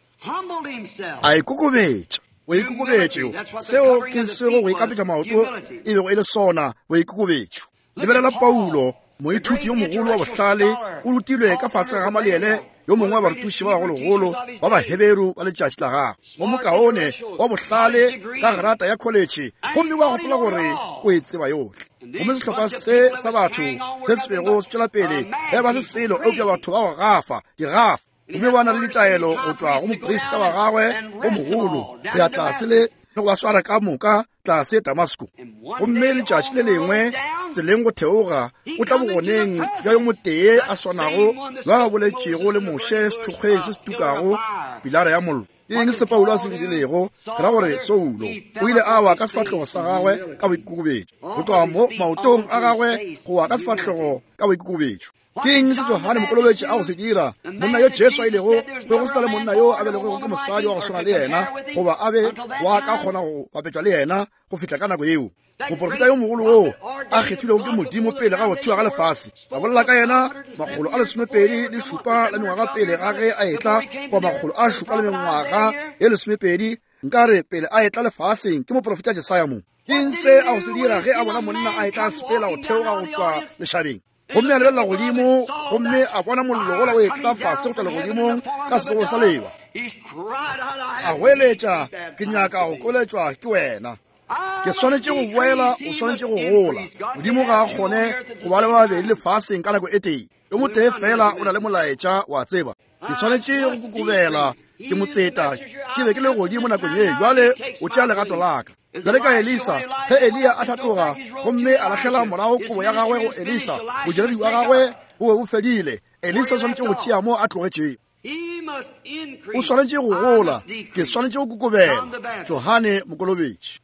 A ikokobetša. Boikokobetšo, seo ke sego go ikapetša maoto e bego e le sona, boikokobetšo. Lebelela Paulo, moithuti yo mogolo wa bohlale, o rutilwe ka fase ga Gamaliele, yo mongwe wa barutiši ba bagologolo ba Baheberu ba letšatši la gagwe, mo mokaone wa bohlale ka grata ya kholetšhe, gomme wa gopola gore o e tseba yohle. Gomme sehlopha se sa batho se se bego se tšwela pele e ba se selo eupša batho ba go gafa digafa. Gomme ba na le ditaelo go tšwa go moprista wa gagwe o mogolo go ya tlase le le go ba swara ka moka tlase Damasko. Gomme letšatši le lengwe tseleng go theoga o tla bogoneng bja yo motee a swanago yo a boletšego le Moshe sethokgweng se se tukago pilara ya mollo. Ke eng se Paulo a se dirilego? Ke ra gore Saulo o ile a wa ka sefahlogo sa gagwe ka boikokobetšo, go tloga mo maotong a gagwe go wa ka sefahlogo ka boikokobetšo. Ke eng se Johane Mokolobetši a go se dira? Monna yo Jesu a ilego be go se na le monna yo a belegwego ke mosadi wa go swana le yena, goba a be wa ka kgona go bapetšwa le yena go fihla ka nako yeo. Moporofeta yo mogolo wo a kgethilwego ke Modimo pele ga go thewa ga lefase, a bolela ka yena makgolo a lesomepedi le šupa la mengwaga pele ga ge a etla, goba makgolo a šupa le mengwaga ye lesomepedi nkare pele a etla lefaseng, ke moporofeta Jesaya mo. Ke eng se a go se dira ge a bona monna a etla a sepela go theoga go tšwa lešabeng? Gomme a lebelela godimo, gomme a bona mollo gola o etla fase go tšwa legodimong ka sebopego sa lewa. A goeletša, ke nyaka go koletšwa ke wena. Ke swanetše go boela, o swanetše go gola. Modimo ga a kgone go ba le ba babedi lefaseng ka nako e tee. Yo motee fela o na le molaetša, wa tseba. Ke swanetše go kokobela, ke motseta, ke be ke le godimo nakong ye, bjale o tšea legato la ka. Bjale ka Elisa, ge Eliya a hlatoga gomme a lahlela morago kobo ya gagwe go Elisa, bodiredi wa gagwe bo be bo fedile. Elisa o swanetše go tšea mo a tlogetšego. O swanetše go gola, ke swanetše go kokobela. Johane Mokolobetši.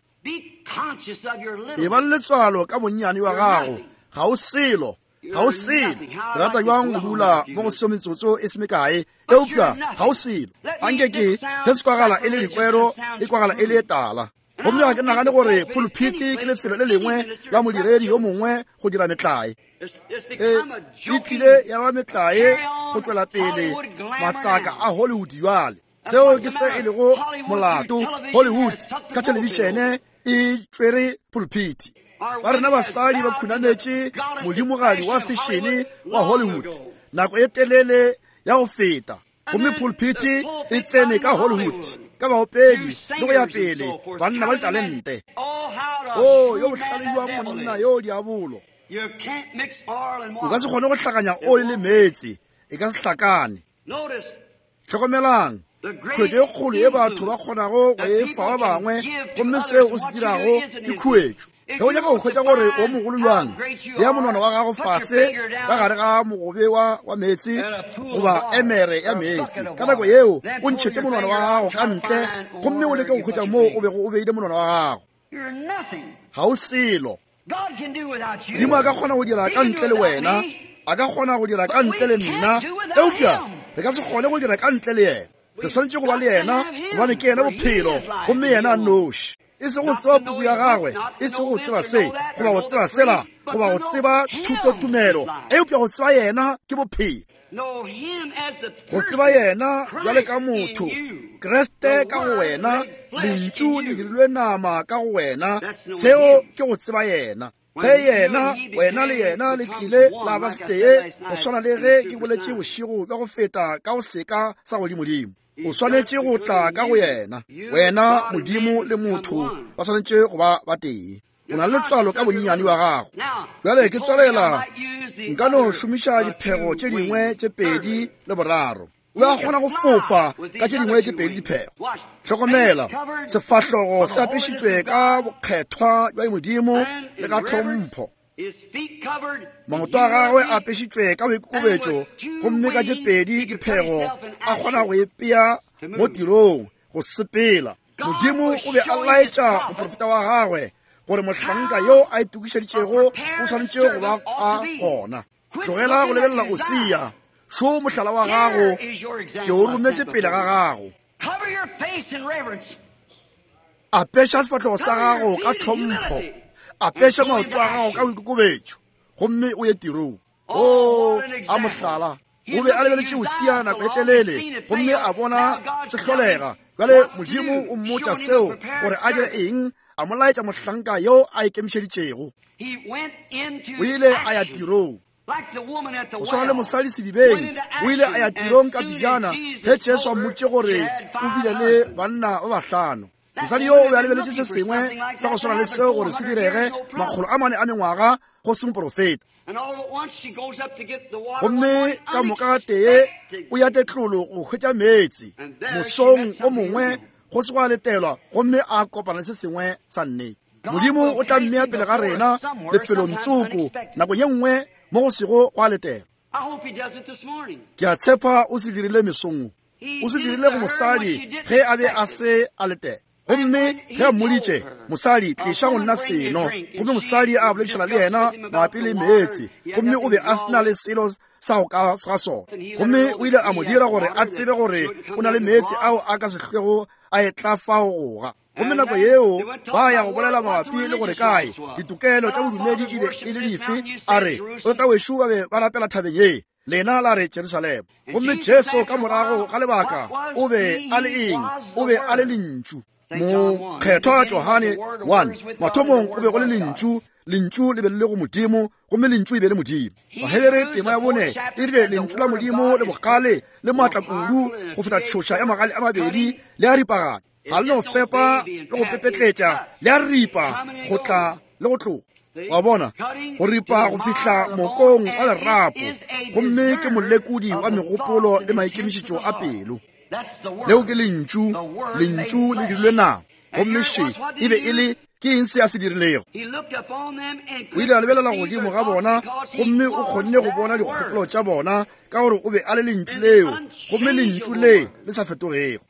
E ba le letswalo ka bonnyane wa gago, ga o selo, ga o selo. Ke rata bjang go dula mo go seo metsotso e se mekae, eupša ga o selo. Anke ke ge se kwagala e le dikwero, e kwagala e le e tala. Gomme ga ke nagane gore pulpiti ke lefelo le lengwe la modiredi yo mongwe go dira metlae. E, e tlile ya ba metlae go tšwela pele matsaka a Hollywood bjale. Seo ke se e lego molato. Hollywood ka thelebišene e tšwere pulpiti. Ba rena basadi ba khunametše modimogadi wa fešene wa Hollywood nako e telele ya go feta. Gomme pulpiti e tsene ka Hollywood ka baopedi le go ya pele, banna ba ditalente. O yo bohlale jwa monna yo diabolo. O ka se kgone go hlakanya oli le meetse, e ka se hlakane. Hlokomelang khuetšo e kgolo ye batho ba kgonago go e fa ba bangwe, gomme seo o se dirago ke khuetšo. Ge o nyaka go hwetša gore o mogolo bjang, bea monwana wa gago fase ka gare ga mogobe wa wa meetse goba emere ya meetse. Ka nako yeo o ntšhetše monwana wa gago ka ntle, gomme o leke go hwetša moo o bego o beile monwana wa gago. Ga o selo. Modimo a ka kgona go dira ka ntle le wena, a ka kgona go dira ka ntle le nna, eupša re ka se kgone go dira ka ntle le yena. Re swanetše go ba le yena, gobane ke yena bophelo, gomme yena a nnoši. E se go tseba puku ya gagwe, e se go tseba se, goba go tseba sela, goba go tseba thutotumelo, eupša go tseba yena ke bophelo. Go tseba yena bjale ka motho, Kriste ka go wena, lentšu le dirilwe nama ka go wena, seo ke go tseba yena. Ge yena, wena le yena le tlile la ba setee, go swana le ge ke boletše bošego bja go feta ka go seka sa godimodimo. O swanetše go tla ka go yena. Wena, Modimo le motho ba swanetše go ba ba tee. O na le letswalo ka bonnyane wa gago. Bjale ke tswalela, nka no šomiša diphego tše dingwe tše pedi le boraro. O a kgona go fofa ka tše dingwe tše pedi diphego. Hlokomela, sefahlogo se apešitšwe ka bokgethwa bja Modimo le ka tlhompho. Maoto a gagwe a apešitšwe ka boikokobetšo, gomme ka tše pedi diphego a kgona go ipea mo tirong go sepela. Modimo o be a laetša moprofeta wa gagwe gore mohlanka yo a itokišeditšego o swanetše go ba a gona. Tlogela go lebelela Usia, šo mohlala wa gago, ke o rometše pele ga gago. Apeša sefahlogo sa gago ka tlhompho, apeša maoto a gago ka boikokobetšo, gomme o ye tirong. O a mohlala. O be a lebeletše Usia nako e telele, gomme a bona se hlolega. Bjale Modimo o mmotša seo gore a dire eng, a mo laetša mohlanka yo a ikemišeditšego. O ile a ya tirong. Go swana le mosadi sedibeng, o ile a ya tirong ka pejana ge Jesu a mmotše gore o bile le banna ba bahlano. Mosadi yo o be a lebeletše se sengwe sa go swana le seo gore se direge makgolo a mane a mengwaga go se moprofeta. Gomme ka moka tee o ya tetlolo go hwetša meetse mosong o mongwe go se gwa letelwa, gomme a kopana le se sengwe sa nnete. Modimo o tla mmea pele ga rena lefelong tsoko nako ye nngwe mo go sego gwa letelwa. Ke a tshepa o se dirile mesong, o se dirile go mosadi ge a be a se a letela. Gomme ge a mmoditše, mosadi, tliša go nna seno, gomme mosadi a boledišana le yena mabapi le meetse, gomme o be a se na le selo sa go ka ga sona. Gomme o ile a mo dira gore a tsebe gore o na le meetse ao a ka se hlwego a etla fao goga. Gomme nako yeo ba ya go bolela mabapi le gore kae ditokelo tša bodumedi e be e le dife, a re botatawešo ba be ba rapela thabeng ye, lena la re Jerusalema. Gomme Jesu ka morago ga lebaka o be a le eng? O be a le lentšu. Mokgethwa Johane one, mathomong go be go le lentšu, lentšu le be le le go Modimo, gomme lentšu e be le Modimo. Bahebere tema ya bone e rile lentšu la Modimo le bogale le maatla kudu go feta tšhoša ya magale a mabedi le a ripaganya, ga le no fepa le go pepetletša, le a ripa go tla le go tloga. Wa bona, go ripa go fihla mokong wa lerapo, gomme ke molekodi wa megopolo le maikemišetšo a pelo. Leo ke lentšu, lentšu le dirilwe nama. Gomme še e be e le ke eng se a se dirilego? O ile a lebelela godimo ga bona, gomme o kgonne go bona dikgopolo tša bona, ka gore o be a le lentšu leo, gomme lentšu le le sa fetogego.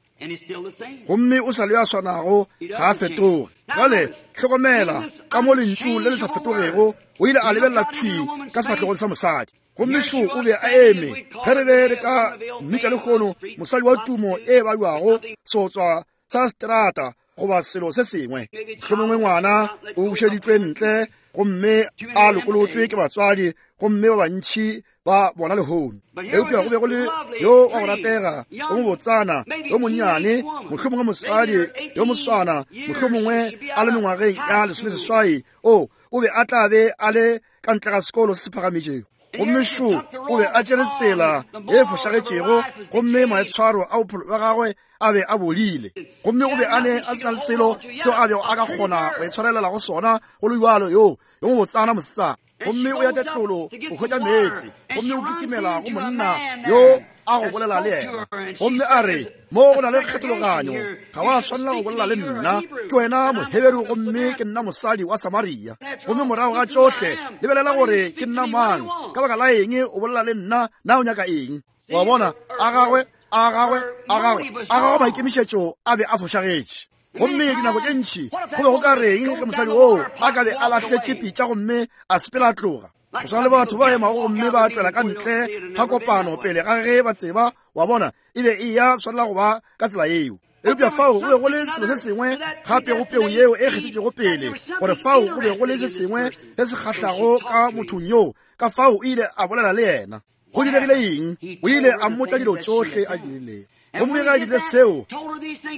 Gomme o sa le a swanago, ga a fetoge. Bjale hlokomela ka mo lentšu le le sa fetogego, o ile a lebelela thwi ka sefahlegong sa mosadi. Gomme šo o be a eme, ge re be re ka mmitša lehono mosadi wa tumo e baiwago seotswa sa strata goba selo se sengwe. Mohlomongwe ngwana o bušeditšwe ntle gomme a lokolotswe ke batswadi, gomme ba bantši ba bona lehono. Eupša go be go le yo wa go ratega, yo mobotsana, yo monnyane, mohlomongwe mosadi yo moswana, mohlomongwe a le mengwageng ya lesomeseswai, o o be a tla be a le ka ntle ga sekolo se se phagametšego. Gomme šo o be a tšere tsela ye fošagetšego, gomme maitshwaro a bophelo bja gagwe a be a bodile. Gomme o be a ne a se na le selo seo a bego a ka kgona go itshwarelela go sona, go le bjalo yo yo mobotsana mosetsana. Gomme o ya tetlolo go hwetša meetse, gomme o kitimela go monna yo a go bolela le yena. Gomme a re, mo go na le kgethologanyo, ga wa swanela go bolela le nna, ke wena Moheberu gomme ke nna mosadi wa Samaria. Gomme morago ga tšohle lebelela gore ke nna mang, ka baka la eng o bolela le nna, na o nyaka eng? Wa bona, a gagwe a gagwe a gagwe a gagwe maikemišetšo a be a fošagetše. Gomme dinako tše ntši go be go ka reng ge mosadi oo a ka be a lahletše pitša gomme a sepela a tloga? Go swana le batho ba emago gomme ba tšwela ka ntle ga kopano pele ga ge ba tseba, wa bona, e be e ya swanela go ba ka tsela yeo. Eupša fao go be go le selo se sengwe gape go peu yeo e kgethetšego pele, gore fao go be go le se sengwe se se kgahlago ka mothong yoo, ka fao o ile a bolela le yena. Go diregile eng? O ile a mmotša dilo tšohle a dirilego. Gomme ge a dirile seo,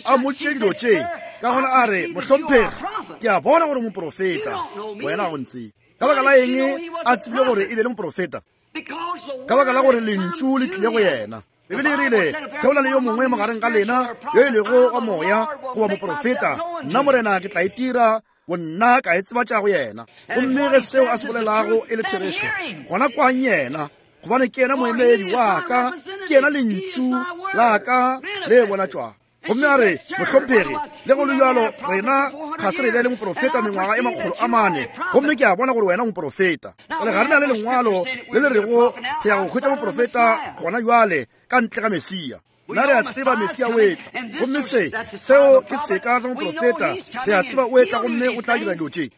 a mmotše dilo tše, ka gona a re, mohlomphegi, ke a bona gore moprofeta, wena ga o ntsebe. Ka baka la eng a tsebile gore e be le moprofeta? Ka baka la gore lentšu le tlile go yena. Bibele e rile, ge o na le yo mongwe magareng ga lena yo e lego wa moya goba moprofeta, nna Morena ke tla itira bonna ka e tsebatša go yena. Gomme ge seo a se bolelago e le therešo, gona kwang yena, gobane ke yena moemedi wa ka, ke yena lentšu la ka le bonatšwago. Gomme a re, mohlomphegi, le go le bjalo rena ga se re be le moprofeta mengwaga e makgolo a mane, gomme ke a bona gore wena moprofeta. Bjale ga re na le lengwalo le le rego re ya go hwetša moprofeta gona bjale ka ntle ga Mesia. Nna re a tseba Mesia o etla, gomme se seo ke seka sa moprofeta. Re a tseba o etla gomme o tla dira dilo tše.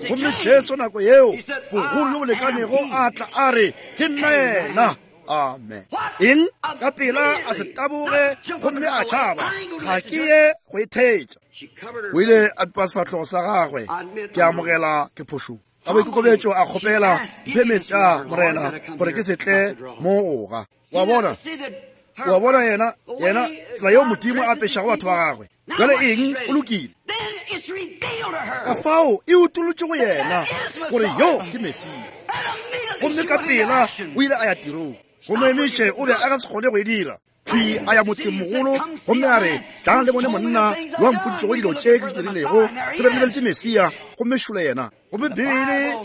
Gomme Jesu nako yeo bogolo jo bo lekanego a tla a re, ke nna yena. Amen. Eng? Ka pela a se taboge gomme a tšhaba, ga ke ye go e thetša. O ile a pipa sefahlogo sa gagwe, ke amogela ke phošong. Ka boikokobetšo a kgopela, mphe meetse a Morena gore ke se tle mo goga. Wa bona, O a bona yena, yena, tsela yeo Modimo a apešago batho ba gagwe. Bjale eng? O lokile. Ka fao e utolotše go yena gore yo ke Mesia. Gomme ka pela o ile a ya tirong. Go mo emiše o be a ka se kgone go e dira. Thwi a ya motsemogolo gomme a re, tlang le bone monna yo a mpoditšego dilo tše ke di dirilego. Re be re lebeletše Mesia, gomme šole yena. Gomme Bibele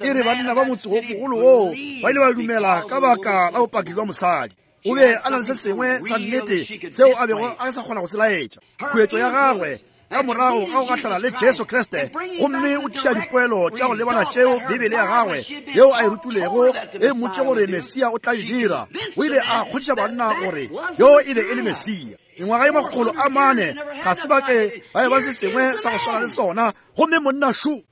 e re banna ba motse mogolo woo ba ile ba dumela ka baka la bopaki jwa mosadi. O be a na le se sengwe sa nnete seo a bego a sa kgona go se laetša. Khuetšo ya gagwe ka morago ga go gahlana le Jesu Kriste, gomme o tliša dipoelo tša go lebana tšeo Bibele ya gagwe yeo a e rutilego e mmotše gore Mesia o tla e dira. O ile a kgodiša banna gore yo e be e le Mesia. Mengwaga ye makgolo a mane ga se ba ke ba e ba se sengwe sa go swana le sona, gomme monna šo.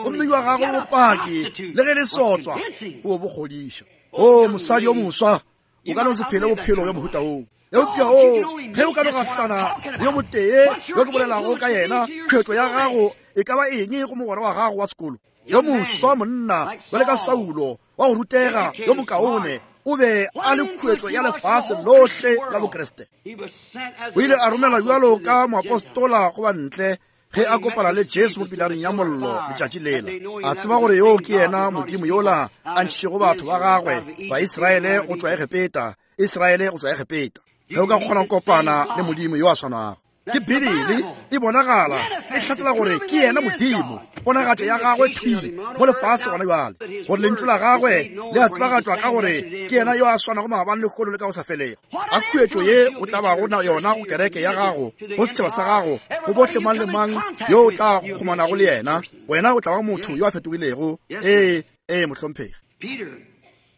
Gomme jwa gagwe bopaki le ge le sotswa o bo kgodiša. O mosadi yo moswa, o ka no se phele bophelo bja mohuta woo. Eupša o, ge o ka no gahlana le yo motee yo ke bolelago ka yena, khuetšo ya gago e ka ba eng go mogwera wa gago wa sekolo? Yo moswa monna bjale ka Saulo wa go rutega yo mokaone, o be a le khuetšo ya lefase lohle la Bokriste. O ile a romelwa bjalo ka moapostola go ba ntle ge a kopana le Jesu mo pilareng ya mollo letšatši lela. A tseba gore yo ke yena Modimo yola a ntšhitšego batho ba gagwe ba Israele go tšwa Egepeta, Israele go tšwa Egepeta. Ge o ka kgona go kopana le Modimo yo a swanago. Ke Bibele e bonagala e hlatsela gore ke yena Modimo, ponagatšo ya gagwe thwi mo lefase gona bjale, gore lentšu la gagwe le a tsebagatšwa ka gore ke yena yo a swanago maabane le lehono le ka go sa felego. A khuetšo ye o tla bago na yona go kereke ya gago, go setšhaba sa gago, go bohle mang le mang yo o tla kgomanago le yena, wena o tla ba motho yo a fetogilego. Ee, ee, mohlomphegi.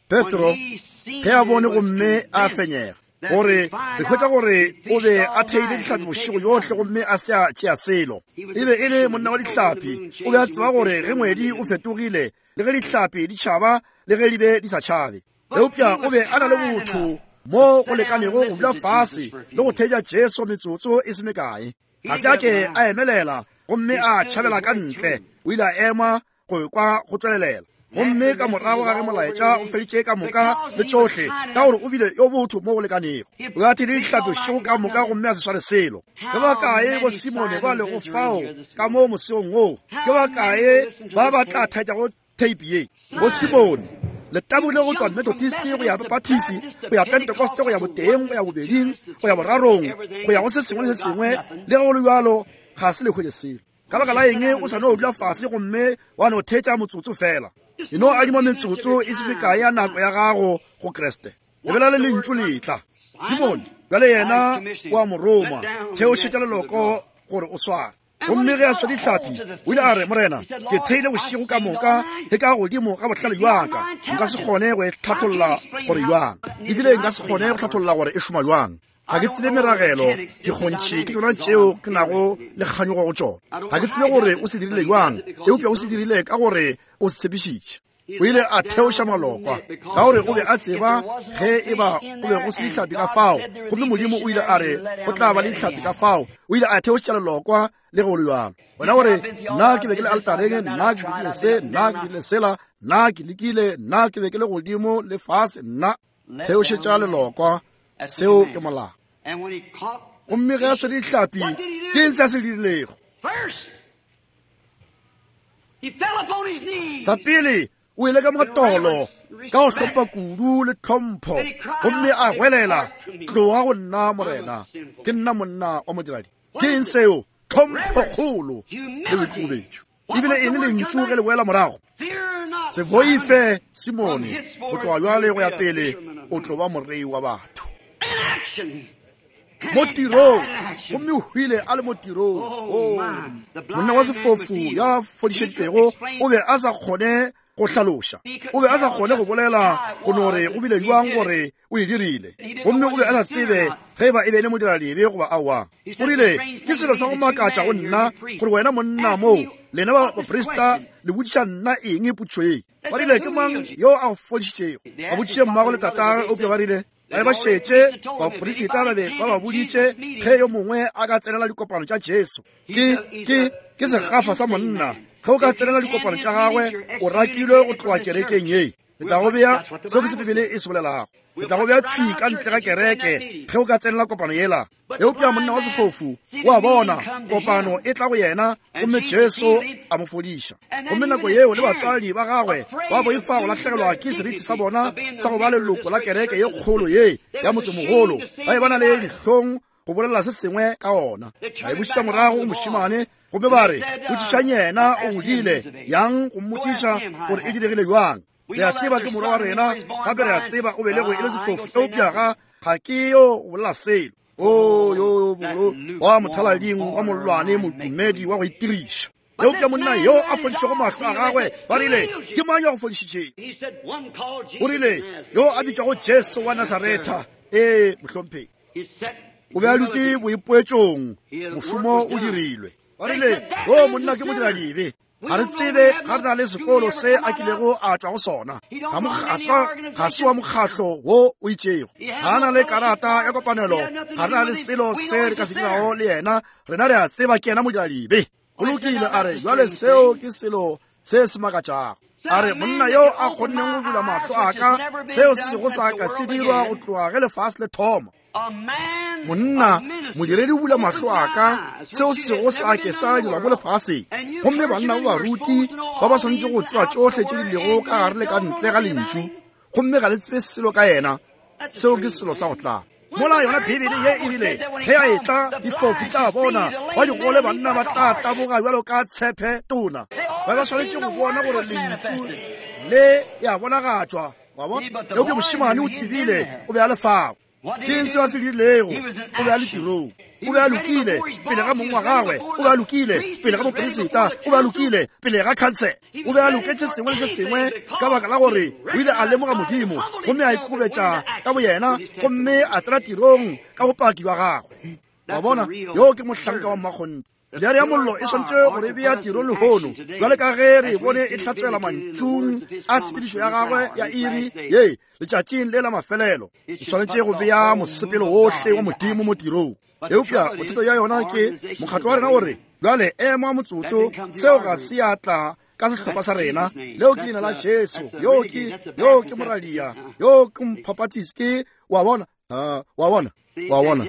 Petro ge a bone gomme a fenyega, gore re hwetša gore o be a theile dihlapi bošego yohle gomme a se a tšea selo. E be e le monna wa dihlapi. O be a tseba gore ge ngwedi o fetogile, le ge dihlapi di tšhaba le ge di be di sa tšhabe. Eupša o be a na le botho mo go lekanego go dula fase le go theetša Jesu metsotso e se mekae. Ga se a ke a emelela gomme a tšhabela ka ntle. O ile a ema go kwa go tswelelela. Gomme ka morago ga ge molaetša o feditše ka moka le tšohle, ka gore o bile yo botho mo go lekanego, o a theile dihlapi bošego ka moka gomme a se sware selo. Ke ba kae bo Simone ba lego fao ka mo moseong woo? Ke ba kae ba ba tla thaetšago tape ye? Bo Simone le tabogile go tšwa Methodist go ya Baptist, go ya Pentecost, go ya boteng, go ya bobeding, go ya borarong, go ya go se sengwe le se sengwe, le ge go le bjalo ga se le hwetše selo. Ka baka la eng o sa no dula fase gomme wa no theetša motsotso fela? E no adima metsotso e se mekae ya nako ya gago go Kriste. Lebelela le lentšu le tla. Simone bjale yena o a mo roma, theošetša leloko gore o sware. Gomme ge a swa dihlapi, o ile a re, Morena, ke theile bošego ka moka le ka godimo ga bohlale bja ka, nka se kgone go e hlatholla gore bjang, ebile nka se kgone go hlatholla gore e šoma bjang. Ga ke tsebe meragelo, dikgontšhi ke tšona tšeo ke nago le kganyogo go tšona. Ga ke tsebe gore o se dirile bjang, eupša o se dirile ka gore o se tshepišitše. O ile a theoša malokwa ka gore o be a tseba ge e ba go be go se dihlapi ka fao, gomme Modimo o ile a re go tla ba le dihlapi ka fao. O ile a theoša lelokwa le go le bjalo. Wena gore nna ke be ke le altareng, nna ke dirile se, nna ke dirile sela, nna ke lekile, nna ke be ke le godimo le fase, nna theošetša lelokwa. Seo ke molao. Gomme ge a swere dihlapi, ke eng se a se dirilego? Sa pele o ile ka matolo ka go hlompha kudu le tlhompho, gomme a goelela, tloga go nna Morena, ke nna monna wa modiradi. Ke eng seo? Tlhompho kgolo le boikokobetšo. Ebile eng lentšu ge le boela morago? Se boife Simone, go tloga bjale go ya pele o tlo ba morei wa batho. Mo tirong, gomme o hwile a le mo tirong. Oh, monna wa sefofu ya fodišeditšwego o be a sa kgone go hlaloša, o be a sa kgone go bolela go no re o bile jwang gore o e dirile, gomme o be a sa tsebe ge e ba e be e le modiradibe goba aowa. O rile, ke selo sa go makatša go nna gore wena monna moo, lena ba baprista le botšiša nna eng potšo ye? Ba rile, ke mang yo a go fodišitšego? Ba botšiše mmago le tatagwe, eupša ba rile ba be ba šetše baprista ba be ba ba boditše ge yo mongwe a ka tsenela dikopano tša Jesu. Ke ke ke segafa sa monna. Ge o ka tsenela dikopano tša gagwe, o rakilwe go tloga kerekeng ye. Ke tla go bea seo ke se Bibele e se bolelago. Ke tla go bea thwi ka ntle ga kereke ge o ka tsenela kopano yela. Eupša monna wa sefofu o a bona kopano e tla go yena, gomme Jesu a mo fodiša. Gomme nako yeo le batswadi ba gagwe ba boifa go lahlegelwa ke seriti sa bona sa go ba leloko la kereke ye kgolo ye ya motsemogolo, ba e ba na le dihlong go bolela se sengwe ka ona. Ba e bušetša morago go mošemane, gomme ba re, botšišang yena o godile yang go mmotšiša gore e diregile bjang. Re a tseba ke morwa wa rena, gape re a tseba o belegwe e le sefofu, eupša ga ga ke yo go bolela selo. O yo bolo wa mothalading wa mollwane, modumedi wa go itiriša. Eupša monna yo a fodišitšego mahlo a gagwe, ba rile, ke mang yo a go fodišitšego? O rile, yo a bitšwago Jesu wa Nasaretha. Ee, mohlomphegi. O be a dutše boipoetšong, mošomo o dirilwe. Ba rile, o monna ke modiradibe. Ga re tsebe ga re na le sekolo se a kilego a tšwa go sona. Ga se wa mokgahlo wo o itšego. Ga a na le karata ya kopanelo, ga re na le selo se re ka se dirago le yena. Rena re a tseba ke yena modiradibe. Go lokile, a re, jwale seo ke selo se se makatšago. A re, monna yo a kgonneng go bula mahlo a ka, seo se sego sa ka se dirwa go tloga ge lefase le thoma. Monna, modiredi o bula mahlo a ka, seo se sego sa ke sa dirwa mo lefaseng. Gomme banna ba baruti ba ba swanetše go tseba tšohle tše di lego ka gare le ka ntle ga lentšu, gomme ga le tsebe selo ka yena. Seo ke selo sa go tla. Mola yona Bibele ye e rile, ge a etla difofu di tla bona, ba digole banna ba tla taboga bjalo ka tshepe tona. Ba ba swanetše go bona gore lentšu le ya bonagatšwa. Wa bona? Eupša mošemane o tsebile o be a le fao. Ke eng seo a se dirilego? O be a le tirong. O be a lokile pele ga mong wa gagwe, o be a lokile pele ga moperisita, o be a lokile pele ga khansele, o be a loketše sengwe le se sengwe, ka baka la gore o ile a lemoga Modimo gomme a ikokobetša ka boyena, gomme a tsena tirong ka bopaki bja gagwe. Wa bona, yo ke mohlanka wa mmakgonthe. Bjare ya mollo e swanetše go re bea tirong lehono, bjale ka ge re bone e hlatswela mantšung a tshepedišo ya gagwe ya iri ye letšatšing le la mafelelo. E swanetše go bea mosepelo wohle wa Modimo mo tirong. Eupša bothata bja yona ke mokgatlo wa rena gore bjale ema motsotso, seo ga se ya tla ka sehlopha sa rena. Leo ke leina la Jesu, yo ke yo ke moradia, yo ke mphaphatisi, ke wa bona, wa bona, wa bona.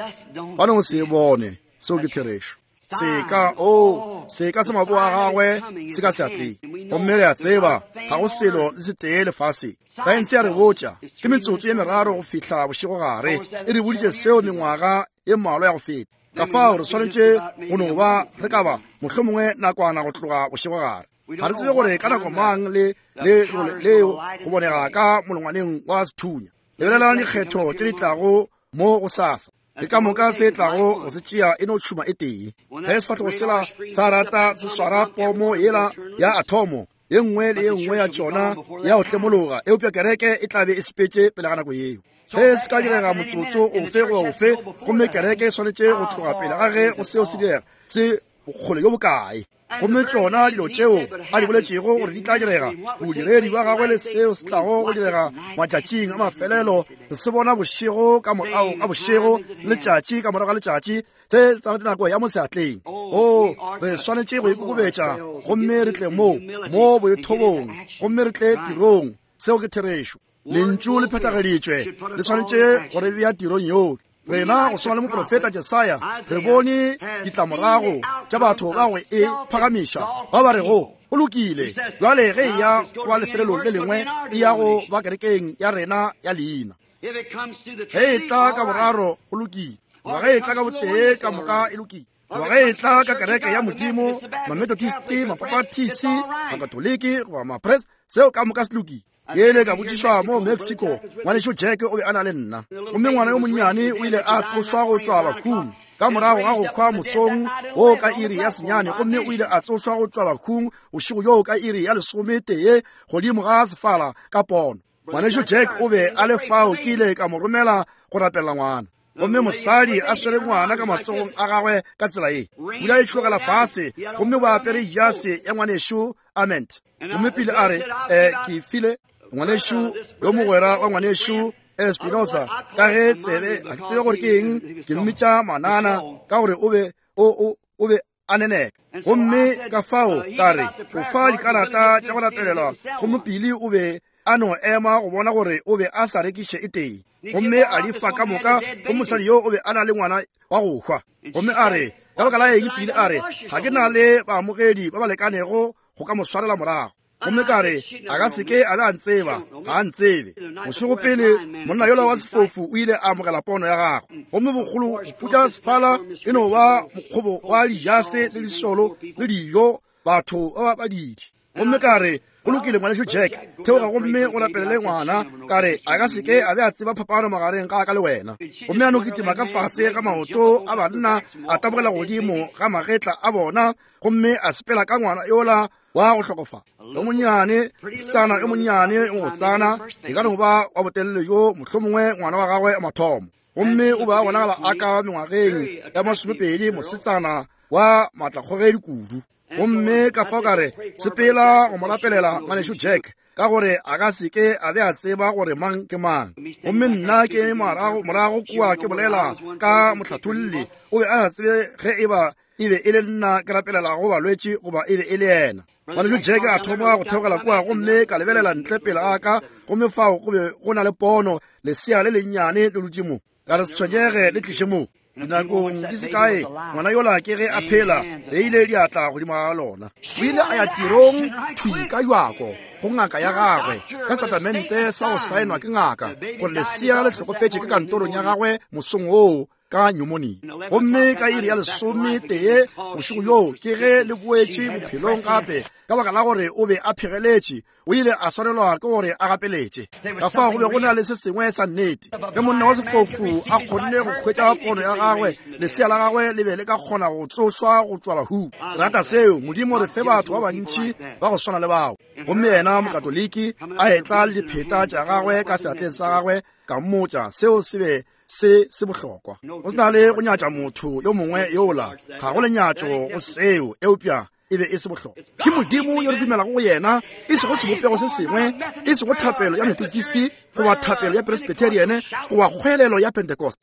Ba no se bone, seo ke therešo. Seka, o seka se maboa a gagwe se ka seatleng. Gomme re a tseba ga go selo le setee lefaseng. Saense ya re botša ke metsotso ye meraro go fihla bošegogare. E re boditše seo mengwaga ye mmalwa ya go feta. Ka fao re swanetše go no ba re ka ba mohlomongwe nakwana go tloga bošegogare. Ga re tsebe gore ka nako mang le le leo go bonega ka molongwaneng wa sethunya. Lebelelang dikgetho tše di tlago mo go sasa. Le ka moka se tlago go se tšea e no tšhuma e tee. Ge sefahlogo sela sa rata se swara pomo yela ya athomo, ye nngwe le ye nngwe ya tšona ya go tlemologa, eupša kereke e tla be e sepetše pele ga nako yeo. Ge se ka direga motsotso ofe goba ofe, gomme kereke e swanetše go tloga pele ga ge go seo se direga, se bokgole bjo bokae. Gomme tšona dilo tšeo a di boletšego gore di tla direga, bodiredi bja gagwe le seo se tlago go direga matšatšing a mafelelo, re se bona bošego ka morago ga bošego, letšatši ka morago ga letšatši, se tsa nako ya mo seatleng. O, re swanetše go ikokobetša gomme re tle mo mo boithobong, gomme re tle tirong. Seo ke therešo. Lentšu le phethageditšwe, le swanetše go re bea tirong yohle. Rena go swana le moprofeta Jesaya, re bone ditlamorago tša batho ba go e phagamiša, ba ba rego go lokile bjale ge e ya kwa lefelelong le lengwe, e ya go ba kerekeng ya rena ya leina. Ge e tla ka boraro go lokile, goba ge e tla ka botee ka moka e lokile, goba ge e tla ka kereke ya Modimo, Mamethodist, Mapapatisi, Makatoliki goba Mapres, seo ka moka se lokile. Ke ile ka botšišwa mo Mexico, ngwanešo Jack o be a na le nna, gomme ngwana yo monnyane o ile a tsošwa go tšwa bahung ka morago ga go hwa mosong wo ka iri ya senyane, gomme o ile a tsošwa go tšwa bahung bošego bjoo ka iri ya lesometee godimo ga sefala ka pono. Ngwanešo Jack o be a le fao, ke ile ka mo romela go rapela ngwana. Gomme mosadi a swere ngwana ka matsogong a gagwe ka tsela ye, pula e tšhologela fase, gomme ba apere jase ya ngwanešo Ament. Gomme pele a re, eh, ke file ngwanešo yo mogwera wa ngwanešo Espinosa, ka ge tsebe a ke tsebe gore ke eng, ke mmitša manana ka gore o be o o o be a neneka. Gomme ka fao ka re o fa dikarata tša go rapelelwa, gomme pele o be A no ema go bona gore o be a sa rekiše e tee. Gomme a di fa ka moka go mosadi yo o be a na le ngwana wa go hwa. Gomme a re, ka baka la eng pele a re, ga ke na le baamogedi ba ba lekanego go ka mo swarela morago. Gomme ka re, a ka se ke a be a ntseba, ga a ntsebe. Bošego pele, monna yola wa sefofu o ile a amogela pono ya gagwe. Gomme bogolo go putla sefala e no ba mokgobo wa dijase le disolo le dijo, batho ba ba badidi. Gomme ka re, go lokile ngwanešu Jack, theoga gomme o rapelele ngwana. Ka re, a ka se ke a be a tseba phapano magareng ga ka le wena. Gomme a no kitima ka fase ga maoto a banna, a tabogela godimo ga magetla a bona, gomme a sepela ka ngwana yola wa go hlokofala. Yo monnyane, mosetsana yo monnyane o motsana, e ka no ba wa botelele jo mohlomongwe ngwana wa gagwe wa mathomo. Gomme o be a bonagala a ka mengwageng ya masomepedi, mosetsana wa maatlakgogedi kudu. Gomme ka fao ka re, sepela go mo rapelela ngwanešu Jack, ka gore a ka se ke a be a tseba gore mang ke mang. Gomme nna ke morago morago kua ke bolela ka mohlatholli, o be a sa tsebe ge e ba e be e le nna ke rapelelago balwetši goba e be e le yena. Ngwanešu Jack a thoma go theogela kua, gomme ka lebelela ntle pele ga ka, gomme fao go be go na le pono, lesea le lennyane le dutše mo. Ka re, se tshwenyege, le tliše mo. Dinakong di se kae, ngwana yola ke ge a phela, beile diatla godimo ga lona. O ile a ya tirong thwi ka jwako go ngaka ya gagwe, ka setatamente sa go saenwa ke ngaka, gore lesea le hlokofetše ka kantorong ya gagwe mosong woo ka pneumonia. Gomme ka iri ya lesome tee bošego bjoo ke ge le boetše bophelong gape, ka baka la gore o be a phegeletše, o ile a swanelwa ke gore a gapeletše. Ka fao go be go na le se sengwe sa nnete. Ge monna wa sefofu a kgonne go hwetša pono ya gagwe, lesea la gagwe le be le ka kgona go tsošwa go tšwa bahung. Re rata seo. Modimo re fe batho ba bantši ba go swana le bao. Gomme yena mokatoliki a etla le dipheta tša gagwe ka seatleng sa gagwe, ka mmotša seo se be se se bohlokwa. Go se na le go nyatša motho yo mongwe yola, ga go lenyatšo go seo, eupša e be e se bohlokwa. Ke Modimo yo re dumelago go yena, e sego sebopego se sengwe, e sego thapelo ya Methodist goba thapelo ya Presbyterian goba kgwelelo ya Pentecost.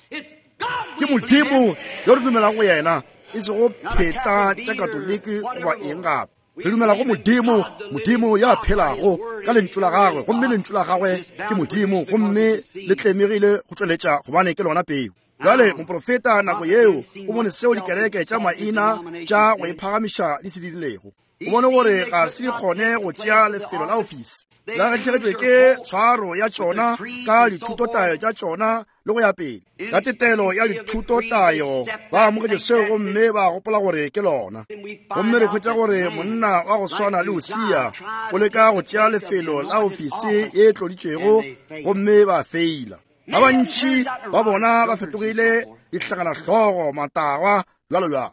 Ke Modimo yo re dumelago go yena, e sego pheta tša Katoliki goba eng gape. Re dumela go Modimo, Modimo ya phelago ka lentšu la gagwe, gomme lentšu la gagwe ke Modimo, gomme le tlemegile go tšweletša gobane ke lona peu. Bjale moprofeta nako yeo o bone seo dikereke tša maina tša go iphagamiša di se dirilego. O bone gore ga se di kgone go tšea lefelo la ofisi, la lahlegetšwe ke tshwaro ya tšona ka dithutotayo tša tšona le go ya pele. Ka tetelo ya dithutotayo ba amogetše seo gomme ba gopola gore ke lona. Gomme re hwetša gore monna wa go swana le Usia o leka go tšea lefelo la ofisi ye tloditšwego, gomme ba feila. Ba bantši ba bona ba fetogile dihlakanahlogo, matagwa, bjalo bjalo.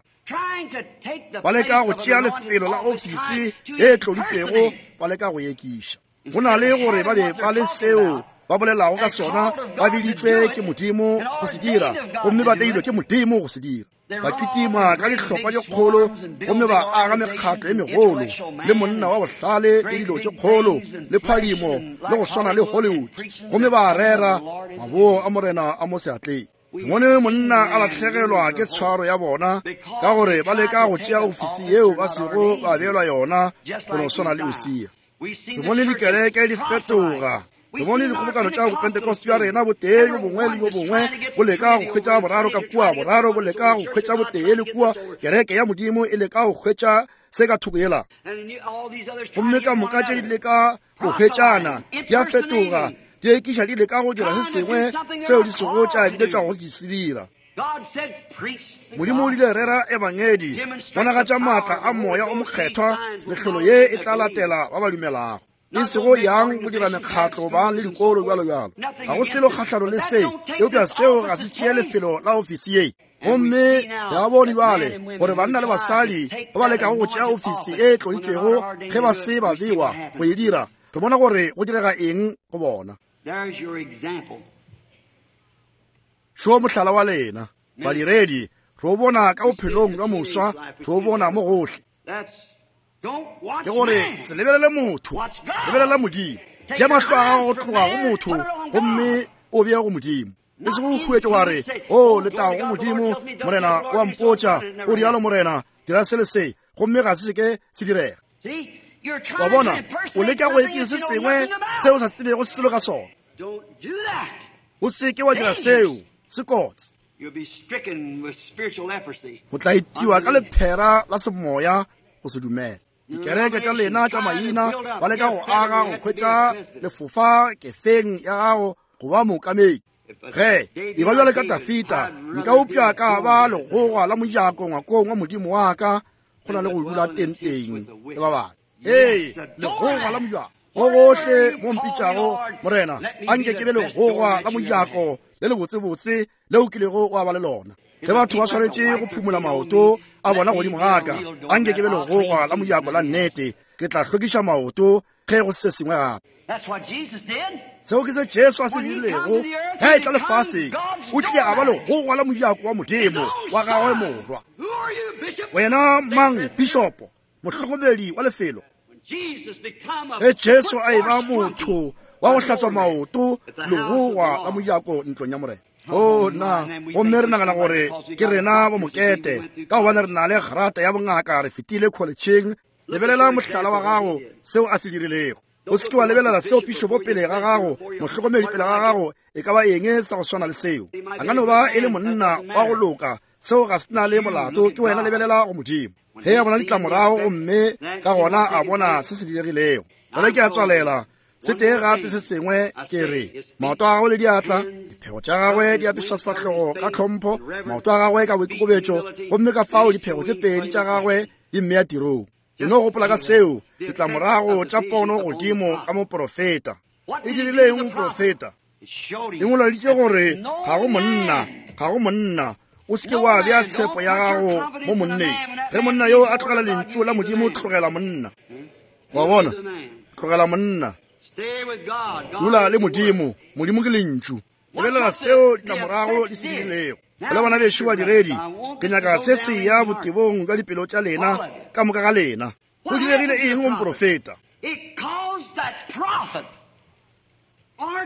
Ba leka go tšea lefelo la ofisi ye tloditšwego, ba leka go ekiša. Go na le gore ba be ba le seo ba bolelago ka sona, ba biditšwe ke Modimo go se dira, gomme ba beilwe ke Modimo go se dira. Ba kitima ka dihlopha tše kgolo, gomme ba aga mekgatlo e megolo, le monna wa bohlale le dilo tše kgolo, le phadimo, le go swana le Hollywood, gomme ba rera maboo a Morena a mo seatleng. Bone monna a lahlegelwa ke tshwaro ya bona, ka gore ba leka go tšea ofisi yeo ba sego ba beelwa yona, go no swana le Usia. Re bone dikereke di fetoga. Re bone dikgobokano tša Pentecost ya rena, botee yo bongwe le yo bongwe bo leka go hwetša boraro ka kua, boraro bo leka go hwetša botee le kua, kereke ya Modimo e leka go hwetša se ka thoko yela. Gomme ka moka tše di leka go hwetšana, di a fetoga, di ekiša, di leka go dira se sengwe seo di sego tša biletšwa go se dira. Modimo o ile rera ebangedi, bonagatša maatla a moya o mokgethwa, mehlolo ye e tla latela ba ba dumelago. E sego yang go dira mekgatlo ba le dikolo bjalo bjalo. Ga go selo kgahlano le se, eupša seo ga se tšee lefelo la ofisi ye. Gomme ya bone bjale gore banna le basadi ba ba lekago go tšea ofisi e tloditšwego ge ba se ba bewa go e dira, re bona gore go direga eng go bona. Šo mohlala wa lena badiredi, re o bona ka bophelong bja moswa, re o bona mo gohle. Ke gore se lebelele motho, lebelela Modimo. Tšea mahlo a gago go tloga go motho gomme o bee go Modimo. E sego o huetše wa re, o letago go Modimo, Morena o a mpotša, o rialo Morena, dira se le se, gomme ga se ke se direga. Wa bona, o leka go ekeng se sengwe seo sa tsebego selo ka sona. O seke wa dira seo, se kotsi. O tla itiwa ka lephera la semoya go se dumela. Dikereke tša lena tša maina ba leka go aga go hwetša lefofa kefeng ya gago go ba mookamedi. Ge e ba bjale ka Dafita, nka upša ka ba legogwa la mojako ngwakong wa Modimo wa ka, go na le go dula tenteng le ba bangwe. Ee, legogwa la mojako. Go gohle mo mpitšago, Morena, anke ke be legogwa la mojako le lebotsebotse leo kilego wa ba le lona. Ge batho ba swanetše go phumola maoto a bona godimo ga ka, anke ke be legogwa la mojako la nnete, ke tla hlwekiša maoto ge go se sengwe gape. Seo ke se Jesu a se dirilego ge a etla lefaseng. O tlile a ba legogwa la mojako wa Modimo wa gagwe morwa. Wena mang, bishopo, mohlokomedi wa lefelo? Ge Jesu a eba motho wa go hlatswa maoto legogwa la mojako ntlong ya Morena. O na, gomme re nagana gore ke rena bo mokete ka gobane re na le grata ya bongaka, re fetile collegeng. Lebelela mohlala wa gago, seo a se dirilego. O se ke wa lebelela seo pišopo pele ga gago, mohlokomedi pele ga gago, e ka ba eng sa go swana le seo. A ka no ba e le monna wa go loka, seo ga se na le molato, ke wena lebelela go Modimo. Ge a bona ditlamorago gomme ka gona a bona se se diregilego. Bjale ke a tswalela. Se tee gape se sengwe ke re, maoto a gagwe le diatla, diphego tša gagwe di apeša sefahlogo ka tlhompho, maoto a gagwe ka boikokobetšo, gomme ka fao diphego tše pedi tša gagwe di mmea tirong. E no gopola ka seo, ditlamorago tša pono godimo ka moprofeta. E dirile eng moprofeta? E ngwaladitše gore ga go monna, ga go monna. O se ke wa bea tshepo ya gago mo monneng. Ge monna yo a tlogela lentšu la Modimo, tlogela monna. Wa bona? Tlogela monna. Dula le Modimo. Modimo ke lentšu. Lebelela seo ditlamorago di se dirilego. Le bona bešo badiredi, ke nyaka se se ya botebong bja dipelo tša lena ka moka ga lena. Go diregile eng go moprofeta?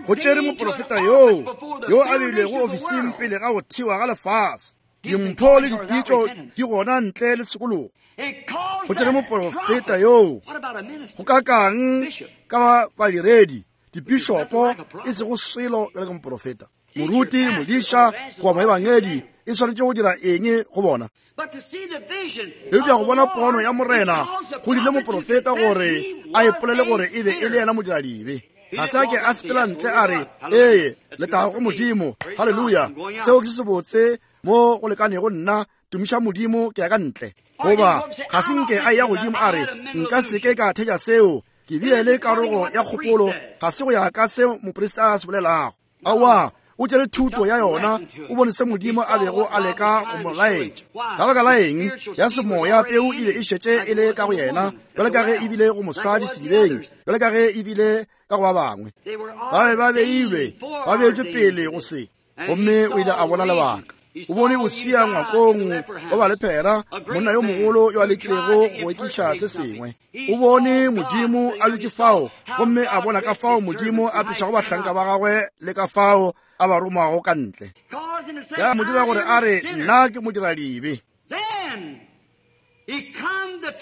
Go tšere moprofeta yoo yo a beilwego ofising pele ga go thewa ga lefase. Dimpho le dipitšo di gona ntle le tshokologo. Go tšere moprofeta yoo. Go kakang ka badiredi, dipišopo, e sego selo bjalo ka moprofeta. Moruti, modiša, goba moebangedi e swanetše go dira eng go bona? Eupša go bona pono ya Morena go dirile moprofeta gore a ipolele gore e be e le yena modiradibe. Ga se a ke a sepela ntle a re, ee, letago go Modimo, haleluya, seo ke se sebotse mo go lekanego nna, tumiša Modimo, ke ya ka ntle. Goba ga se nke a ya godimo a re, nka seke ka theja seo, ke bile le karogo ya kgopolo, ga se go ya ka seo moprista a se bolelago. Aowa, o tšere thuto ya yona, o bone se Modimo a bego a leka go mo laetša. Ka baka la eng? Ya semoya peu e be e šetše e le ka go yena, bjalo ka ge e bile go mosadi sedibeng, bjalo ka ge e bile ka go ba bangwe. Ba be ba beilwe, ba beetšwe pele go se. Gomme o ile a bona lebaka. O bone Usia ngwakong wa balephera, monna yo mogolo yo a lekilego go ekiša se sengwe. O bone Modimo a dutše fao, gomme a bona ka fao Modimo a tlošago bahlanka ba gagwe le ka fao a ba romago ka ntle. Ya mo dira gore a re, nna ke modiradibe.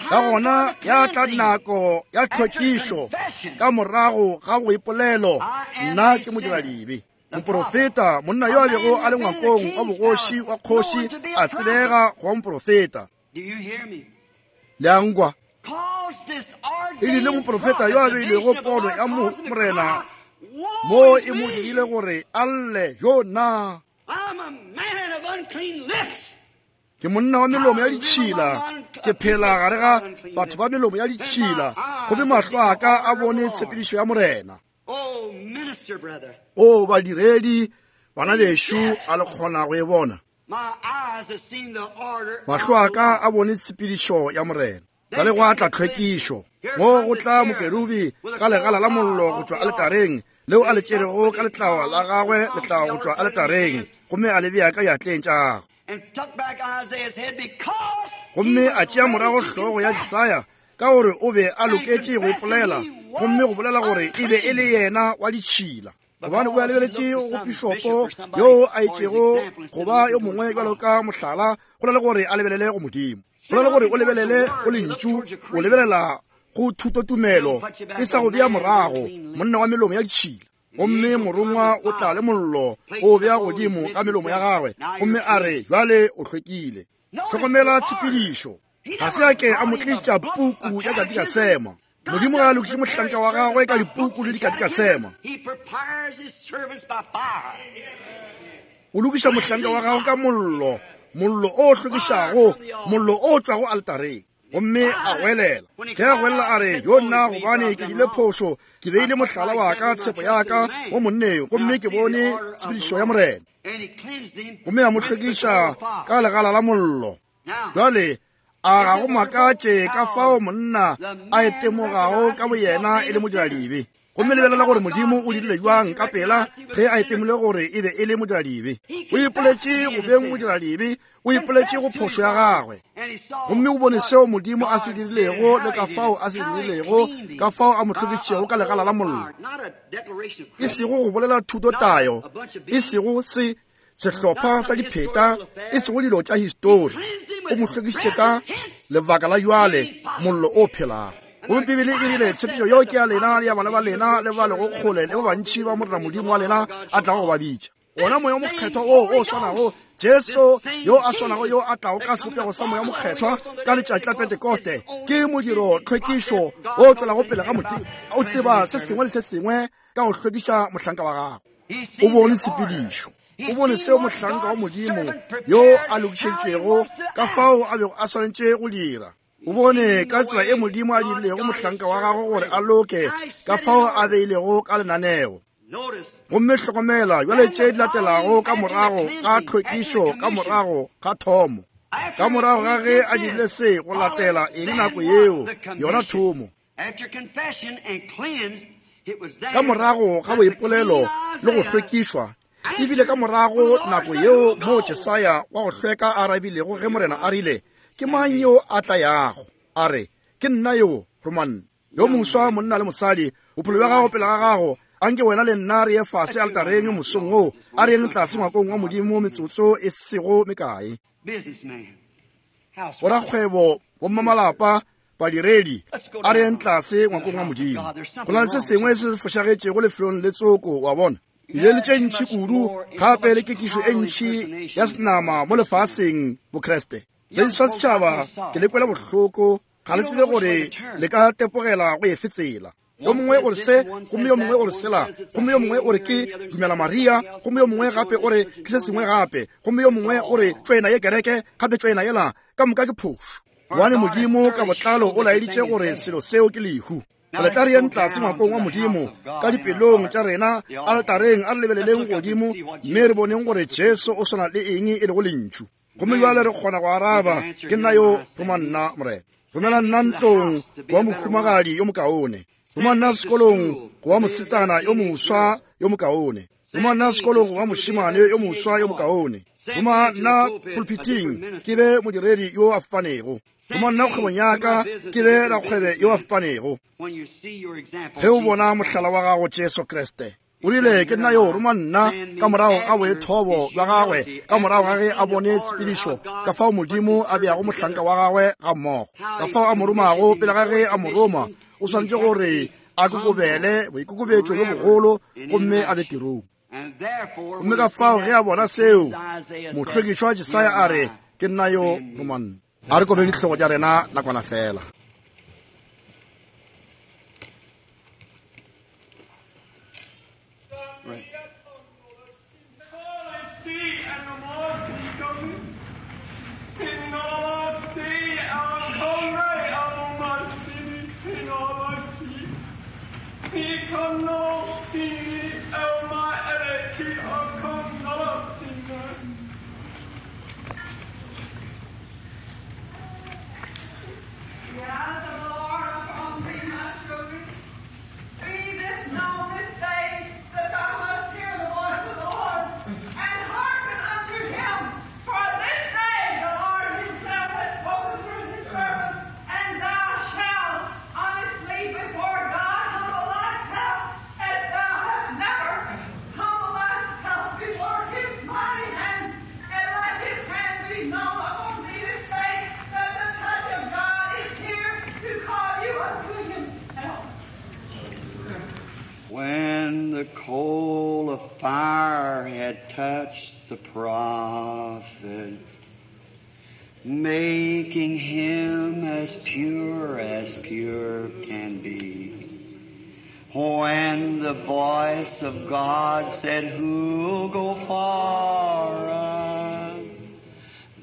Ka gona ya tla nako ya tlhwekišo ka morago ga go ipolelo, nna ke modiradibe. Moprofeta, monna yo a bego a le ngwakong wa bogoši wa kgoši, a tsebega go ba moprofeta. Le a nkwa? E dirile moprofeta yo a beilego pono ya Morena mo e mo dirile gore a lle, yo nna ke monna wa melomo ya ditšhila, ke phela gare ga batho ba melomo ya ditšhila, gomme mahlo a ka a bone tshepedišo ya Morena. O badiredi, bana bešo, a le kgona go e bona? Mahlo a ka a bone tshepedišo ya Morena. Bjale gwa tla tlhwekišo. Mo go tla mokerubi ka legala la mollo go tšwa aletareng, leo a le tšerego ka letlawa la gagwe, letlawa go tšwa aletareng, gomme a le bea ka diatleng tša gagwe. Gomme a tšea morago hlogo ya Jesaya, ka gore o be a loketše go ipolela, gomme go bolela gore e be e le yena wa ditšhila. Gobane o a lebeletše go pišopo yo a itšego go ba yo mongwe bjalo ka mohlala, go na le gore a lebelele go Modimo. Go na le gore o lebelele go lentšu, o lebelela go thutotumelo, e sa go bea morago, monna wa melomo ya ditšhila. Gomme morongwa o tla le mollo o bea godimo ka melomo ya gagwe, gomme a re, bjale o hlwekile. Hlokomela tshepedišo. Ga se a ke a mo tlišetša puku ya katikasema. Modimo ga a lokiše mohlanka wa gagwe ka dipuku le dikatikasema. O lokiša mohlanka wa gagwe ka mollo, mollo o hlwekišago, mollo o tšwago altareng. Gomme a goelela. Ge a goelela a re, yo nna gobane ke dirile phošo, ke beile mohlala wa ka, tshepo ya ka mo monneng, gomme ke bone tshepedišo ya Morena. Gomme a mo hlwekiša ka legala la mollo. Bjale a ga go makatše ka fao monna a itemogago ka boyena e le modiradibe. Gomme lebelela gore Modimo o dirile jwang ka pela ge a itemile gore e be e le modiradibe. O ipoletše go beng modiradibe, o ipoletše go phošo ya gagwe. Gomme o bone seo Modimo a se dirilego le ka fao a se dirilego, ka fao a mo hlwekišitšego ka legala la mollo. E sego go bolela thutotayo, e sego se sehlopha sa dipheta, e sego dilo tša histori. O mo hlwekišitše ka lebaka la jwale, mollo o phelago. Gomme Bibele e rile, tshepišo yeo ke ya lena le ya bana ba lena le ba lego kgole le ba bantši ba Morena Modimo wa lena a tlago go ba bitša. Wona Moya o Mokgethwa wo o swanago, Jesu yo a swanago yo a tlago ka sebopego sa Moya o Mokgethwa ka letšatši la Pentekoste, ke modiro tlhwekišo o tšwelago pele ga Modimo. O tseba se sengwe le se sengwe ka go hlwekiša mohlanka wa gagwe. O bone tshepedišo. O bone seo mohlanka wa Modimo yo a lokišeditšwego ka fao a bego a swanetše go dira. O bone ka tsela e Modimo a dirilego mohlanka wa gagwe gore a loke, ka fao a beilego ka lenaneo. Gomme hlokomela bjale tše di latelago ka morago ga tlhwekišo, ka morago ga thomo, ka morago ga ge a dirile se, go latela eng nako yeo, yona thomo. Ka morago ga boipolelo le go hlwekišwa, ebile ka morago nako yeo moo Jesaya wa go hlweka a arabilego ge Morena a rile, ke mang yo a tla yago? A re, ke nna yo, roma nna. Yo moswa monna le mosadi, bophelo bja gago pele ga gago, anke wena le nna re ye fase altareng mosong wo, a re yeng tlase ngwakong wa Modimo metsotso e sego mekae. Borakgwebo, bommamalapa, badiredi, a re yeng tlase ngwakong wa Modimo. Go na le se sengwe se se fošagetšego lefelong le tsoko, wa bona. Ile le tše ntši kudu, gape le kekišo e ntši ya senama mo lefaseng Bokreste. Se sa setšhaba ke le kwela bohloko, ga le tsebe gore le ka tepogela go efe tsela. Yo mongwe o re se, gomme yo mongwe o re sela, gomme yo mongwe o re ke dumela Maria, gomme yo mongwe gape o re ke se sengwe gape, gomme yo mongwe o re tswena ye kereke, gape tswena yela, ka moka ke phošo. Gobane Modimo ka botlalo o laeditše gore selo seo ke lehu. Le tla re yeng tlase ngwakong wa Modimo ka dipelong tša rena, altareng, a re lebeleleng godimo mme re boneng gore Jesu o swana le eng e lego lentšu. Gomme bjale re kgona go araba, ke nna yo, roma nna Morena. Romela nna ntlong go wa mohumagadi yo mokaone. Roma nna sekolong go wa mosetsana yo moswa yo mokaone. Roma nna sekolong go wa mošemane yo moswa yo mokaone. Roma nna pulpiting ke be modiredi yo a fapanego. Roma nna kgwebong ya ka ke be rakgwebe yo a fapanego. Ge o bona mohlala wa gago Jesu Kriste, o rile, ke nna yo, roma nna, ka morago ga boithobo bja gagwe, ka morago ga ge a bone tshepedišo, ka fao Modimo a beago mohlanka wa gagwe ga mmogo, ka fao a mo romago pele ga ge a mo roma, o swanetše gore a kokobele boikokobetšo bjo bogolo gomme a be tirong. Gomme ka fao ge a bona seo, mohlwekišwa Jesaya a re, ke nna yo, roma nna. A re kobeng dihlogo tša rena nakwana fela. the coal of fire had touched the prophet, making him as pure as pure can be. When the voice of God said, "Who'll go for us?"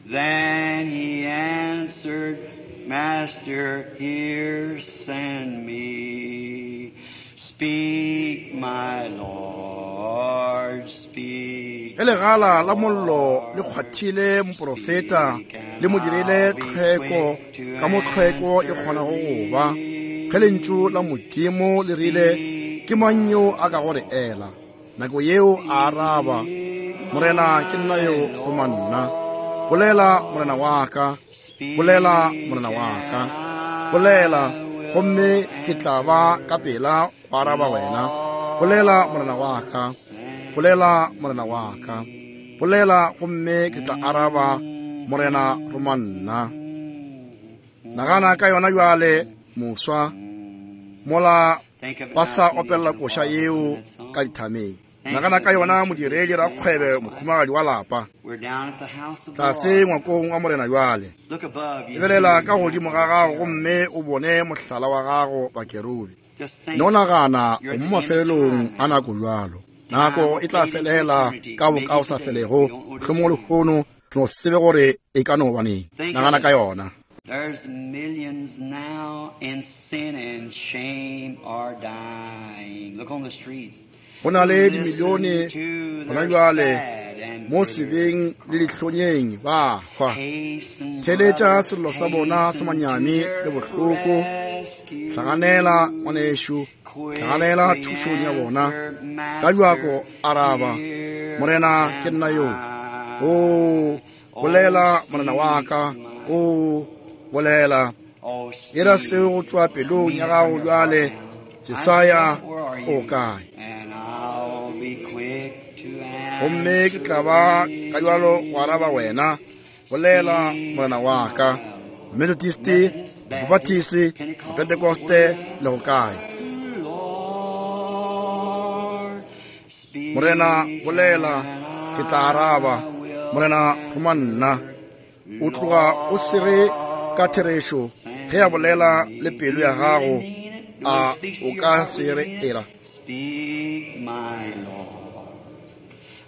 Then he answered, "Master, here send me. Speak, my Lord, speak." Ge legala la mollo le kgwathile moprofeta le mo dirile tlhweko ka mo tlhweko e kgonago go ba, ge lentšu la Modimo le rile, ke mang yo a ka go re ela? Nako yeo a araba, Morena, ke nna yo, roma nna. Bolela, Morena wa ka, bolela, Morena wa ka, bolela, gomme ke tla ba ka pela go araba wena. Bolela, Morena wa ka, bolela, Morena wa ka, bolela, gomme ke tla araba, Morena, roma nna. Nagana ka yona bjale, moswa, mola ba sa opela koša yeo ka dithameng. Nagana ka yona modiredi rakgwebe mokhumagadi wa lapa tlase ngwakong wa Morena bjale. Lebelela ka godimo ga gago gomme o bone mohlala wa gago bakerubi. No nagana o mo mafelelong a nako bjalo. Nako e tla felela ka boka o sa felego, mohlomongwe lehono no sebe gore e ka no ba neng. Nagana ka yona. There's millions now in sin and shame are dying. Look on the streets. Go na le dimilione gona bjale mo sebeng le dihlonyeng ba hwa. Theletša sello sa bona sa manyami le bohloko. Hlaganela ngwanešu, hlaganela thušong ya bona. Ka bjako araba, Morena, ke nna yo. O bolela, Morena wa ka, o bolela. Era seo go tšwa pelong ya gago bjale. Jesaya o kae? Gomme ke tla ba ka bjalo go araba wena. Bolela, Morena wa ka. Methodist, Baptist, Pentecoste le go kae? Morena, bolela, ke tla araba. Morena, roma nna. O tloga o sere ka therešo ge a bolela le pelo ya gago, a o ka se re era.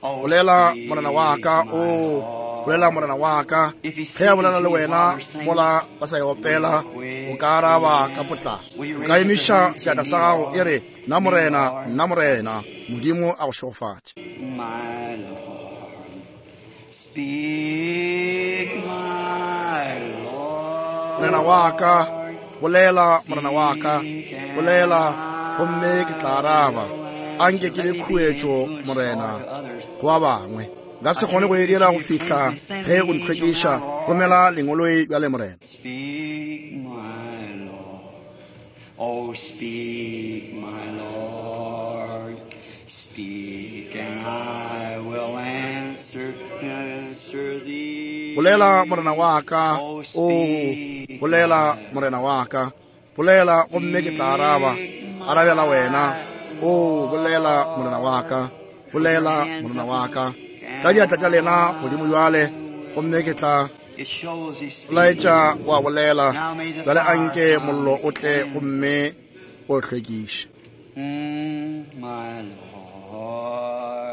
Bolela, Morena wa ka, o bolela, Morena wa ka. Ge a bolela le wena mola ba sa e opela, o ka araba ka potlako. O ka emiša seatla sa gago e re, nna Morena, nna Morena. Modimo a go šegofatše. Morena wa ka, bolela, Morena wa ka, bolela, gomme ke tla araba. Anke ke be khuetšo, Morena, go ba bangwe. Nka se kgone go e dira go fihla ge o ntlhwekiša. Romela lengoloi bjale, Morena. Speak, my Lord. Oh, speak, my Lord. Speak, and I will answer, answer thee. Bolela, Morena wa ka, o bolela, Morena wa ka, bolela, gomme ke tla araba. Arabela wena. O bolela, Morena wa ka, bolela, Morena wa ka. Ka diatla tša lena godimo bjale, gomme ke tla laetša wa bolela. Bjale anke mollo o tle gomme o hlwekiše.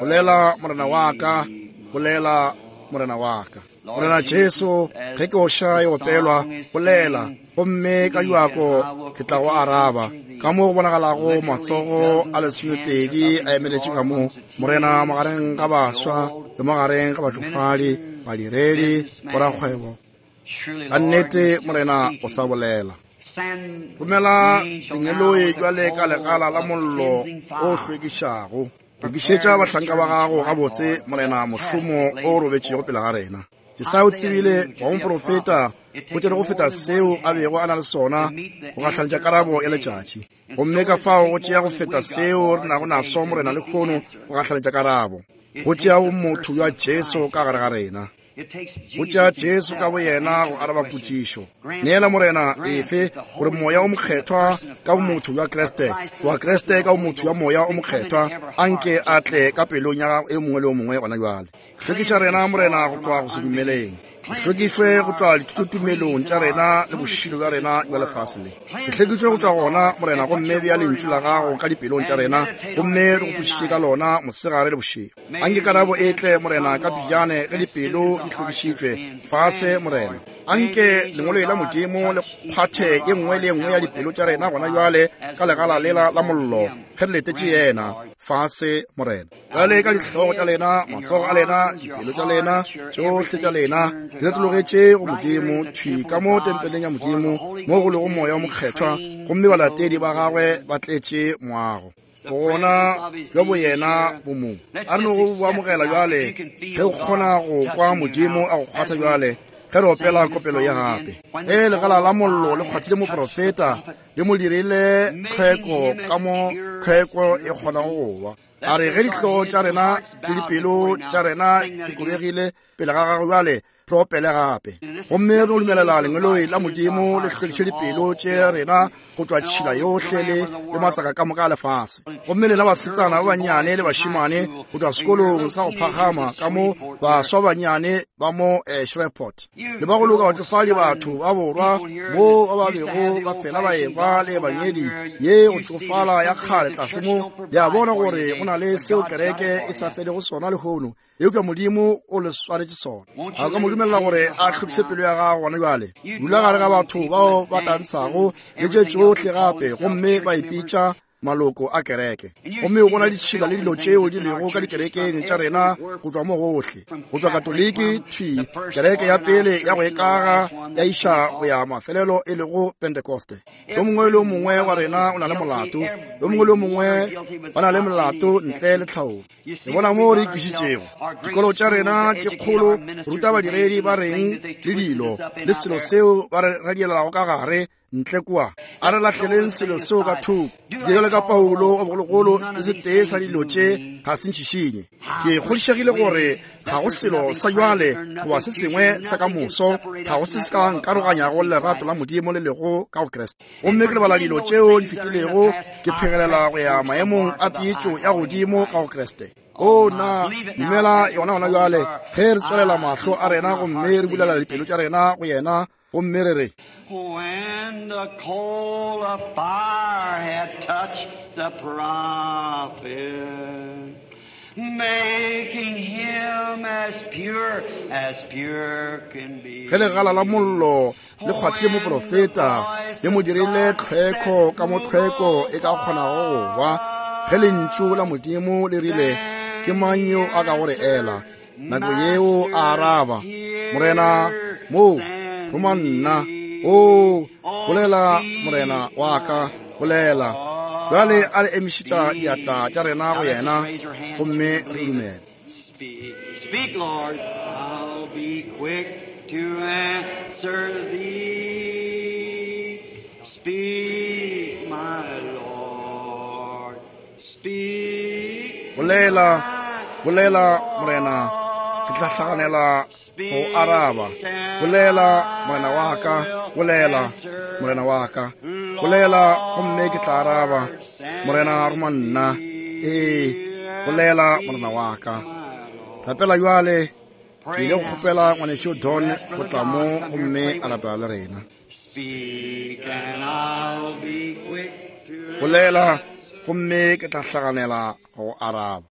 Bolela, Morena wa ka, bolela, Morena wa ka. Morena Jesu, ge ke oša e opelwa, bolela, gomme ka bjako ke tla go araba. Ka mo go bonagalago matsogo a lesomepedi a emeletše ka mo, Morena, magareng ga baswa le magareng ga batšofadi, badiredi, borakgwebo. Ka nnete, Morena, o sa bolela. Romela lengeloi bjale ka legala la mollo o hlwekišago. Lokišetša bahlanka ba gago gabotse, Morena, mošomo o robetšego pele ga rena. Jesaya o tsebile wa moprofeta go tšere go feta seo a bego a na le sona go gahlanetša karabo ya letšatši. Gomme ka fao go tšea go feta seo re nago naso, Morena, lehono go gahlanetša karabo. Go tšea motho jwa Jesu ka gare ga rena. Go tšea Jesu ka boyena go araba potšišo. Neela, Morena, efe gore Moya o Mokgethwa ka bomotho bja Kriste, goba Kriste ka bomotho bja Moya o Mokgethwa, anke a tle ka pelong ya gago e mongwe le o mongwe gona bjale. Hlwekiša rena, Morena, go tloga go se dumeleng. Hlwekišwe go tšwa dithutotumelong tša rena le bošilo bja rena bja lefase le. Hlwekišwe go tšwa gona, Morena, gomme bea lentšu la gago ka dipelong tša rena, gomme re gopošiše ka lona mosegare le bošego. Anke karabo e tle, Morena, ka pejane ge dipelo di hlwekišitšwe fase, Morena. Anke lengwalo la Modimo le kgwathe ye nngwe le ye nngwe ya dipelo tša rena gona bjale ka legala lela la mollo ge re letetše yena fase, Morena. Bjale ka dihlogo tša lena, matsogo a lena, dipelo tša lena, tšohle tša lena di retologetše go Modimo, thwi ka mo tempeleng ya Modimo mo go lego Moya o Mokgethwa, gomme balatedi ba gagwe ba tletše moago. Bogona bja boyena bo mo. A re no go bo amogela bjale ge o kgona go kwa Modimo a go kgwatha bjale ge re opela kopelo ya gape. Ge legala la mollo le kgwathile moprofeta, le mo dirile tlhweko ka mo tlhweko e kgonago go ba. A re ge dihlogo tša rena le dipelo tša rena di kobegile pele ga gagwe bjale, re opele gape. Gomme re no dumelela lengeloi la Modimo le hlwekiše dipelo tše rena go tšwa tšhila yohle le le matsaka ka moka a lefase. Gomme lena basetsana ba bannyane le bašemane go tšwa sekolong sa go phagama ka mo, baswa ba bannyane ba mo eh, Shreveport, le ba go loka batšofadi batho ba borwa mo ba ba bego ba fela ba ekwa le ebangedi ye go tšofala ya kgale tlase mo, le a bona gore go na le seo kereke e sa felego sona lehono, eupša Modimo o le swaretše sona. A ka mo dumelela gore a hlwekiše pelo ya gago gona bjale. Dula gare ga batho bao ba tantshago le tše tšohle gape, gomme ba ipitša maloko a kereke. Gomme o bona ditšhila le dilo tšeo di lego ka dikerekeng tša rena go tšwa mo gohle, go tšwa Katoliki thwi kereke ya pele ya go ekaga ya iša go ya mafelelo e lego Pentekoste. Yo mongwe le yo mongwe wa rena o na le molato, yo mongwe le yo mongwe ba na le molato ntle le tlhaolo. Le bona mo re ikišitšego dikolo tša rena tše kgolo, ruta badiredi ba reng le dilo le selo seo ba re radielago ka gare ntle kua. A re lahleleng selo seo ka thoko. Bjalo ka Paulo wa bogologolo, le setee sa dilo tše ga se ntšhišinye. Ke kgodišegile gore ga go selo sa bjale goba se sengwe sa ka moso, ga go se se ka nkaroganyago le lerato la Modimo le lego ka go Kriste. Gomme ke lebala dilo tšeo di fetilego, ke phegelela go ya maemong a peetšo ya godimo ka go Kriste. O na dumela yona gona bjale ge re tswalela mahlo a rena gomme re bulela dipelo tša rena go yena, gomme re re, When the coal of fire had touched the prophet, making him as pure as pure can be. Ge legala la mollo le kgwathile moprofeta, le mo dirile tlhweko ka mo tlhweko e ka kgonago go ba. Ge lentšu la Modimo le rile, ke mang yo a ka go re ela? Nako yeo a araba, Morena, mo roma nna. O bolela, Morena wa ka, bolela. Bjale a re emišetša diatla tša rena go yena, gomme re dumele. Speak, speak, Lord, I'll be quick to answer thee. Speak, my Lord, speak. Bolela, bolela, Morena, ke tla hlaganela go araba. Bolela, Morena wa ka, bolela, Morena wa ka, bolela, gomme ke tla araba. Morena, roma nna. Ee, bolela, Morena wa ka. Rapela bjale, ke ile go kgopela ngwanešu Don go tla mo gomme a rapela le rena. Speak and I'll be quick to Bolela, gomme ke tla hlaganela go araba.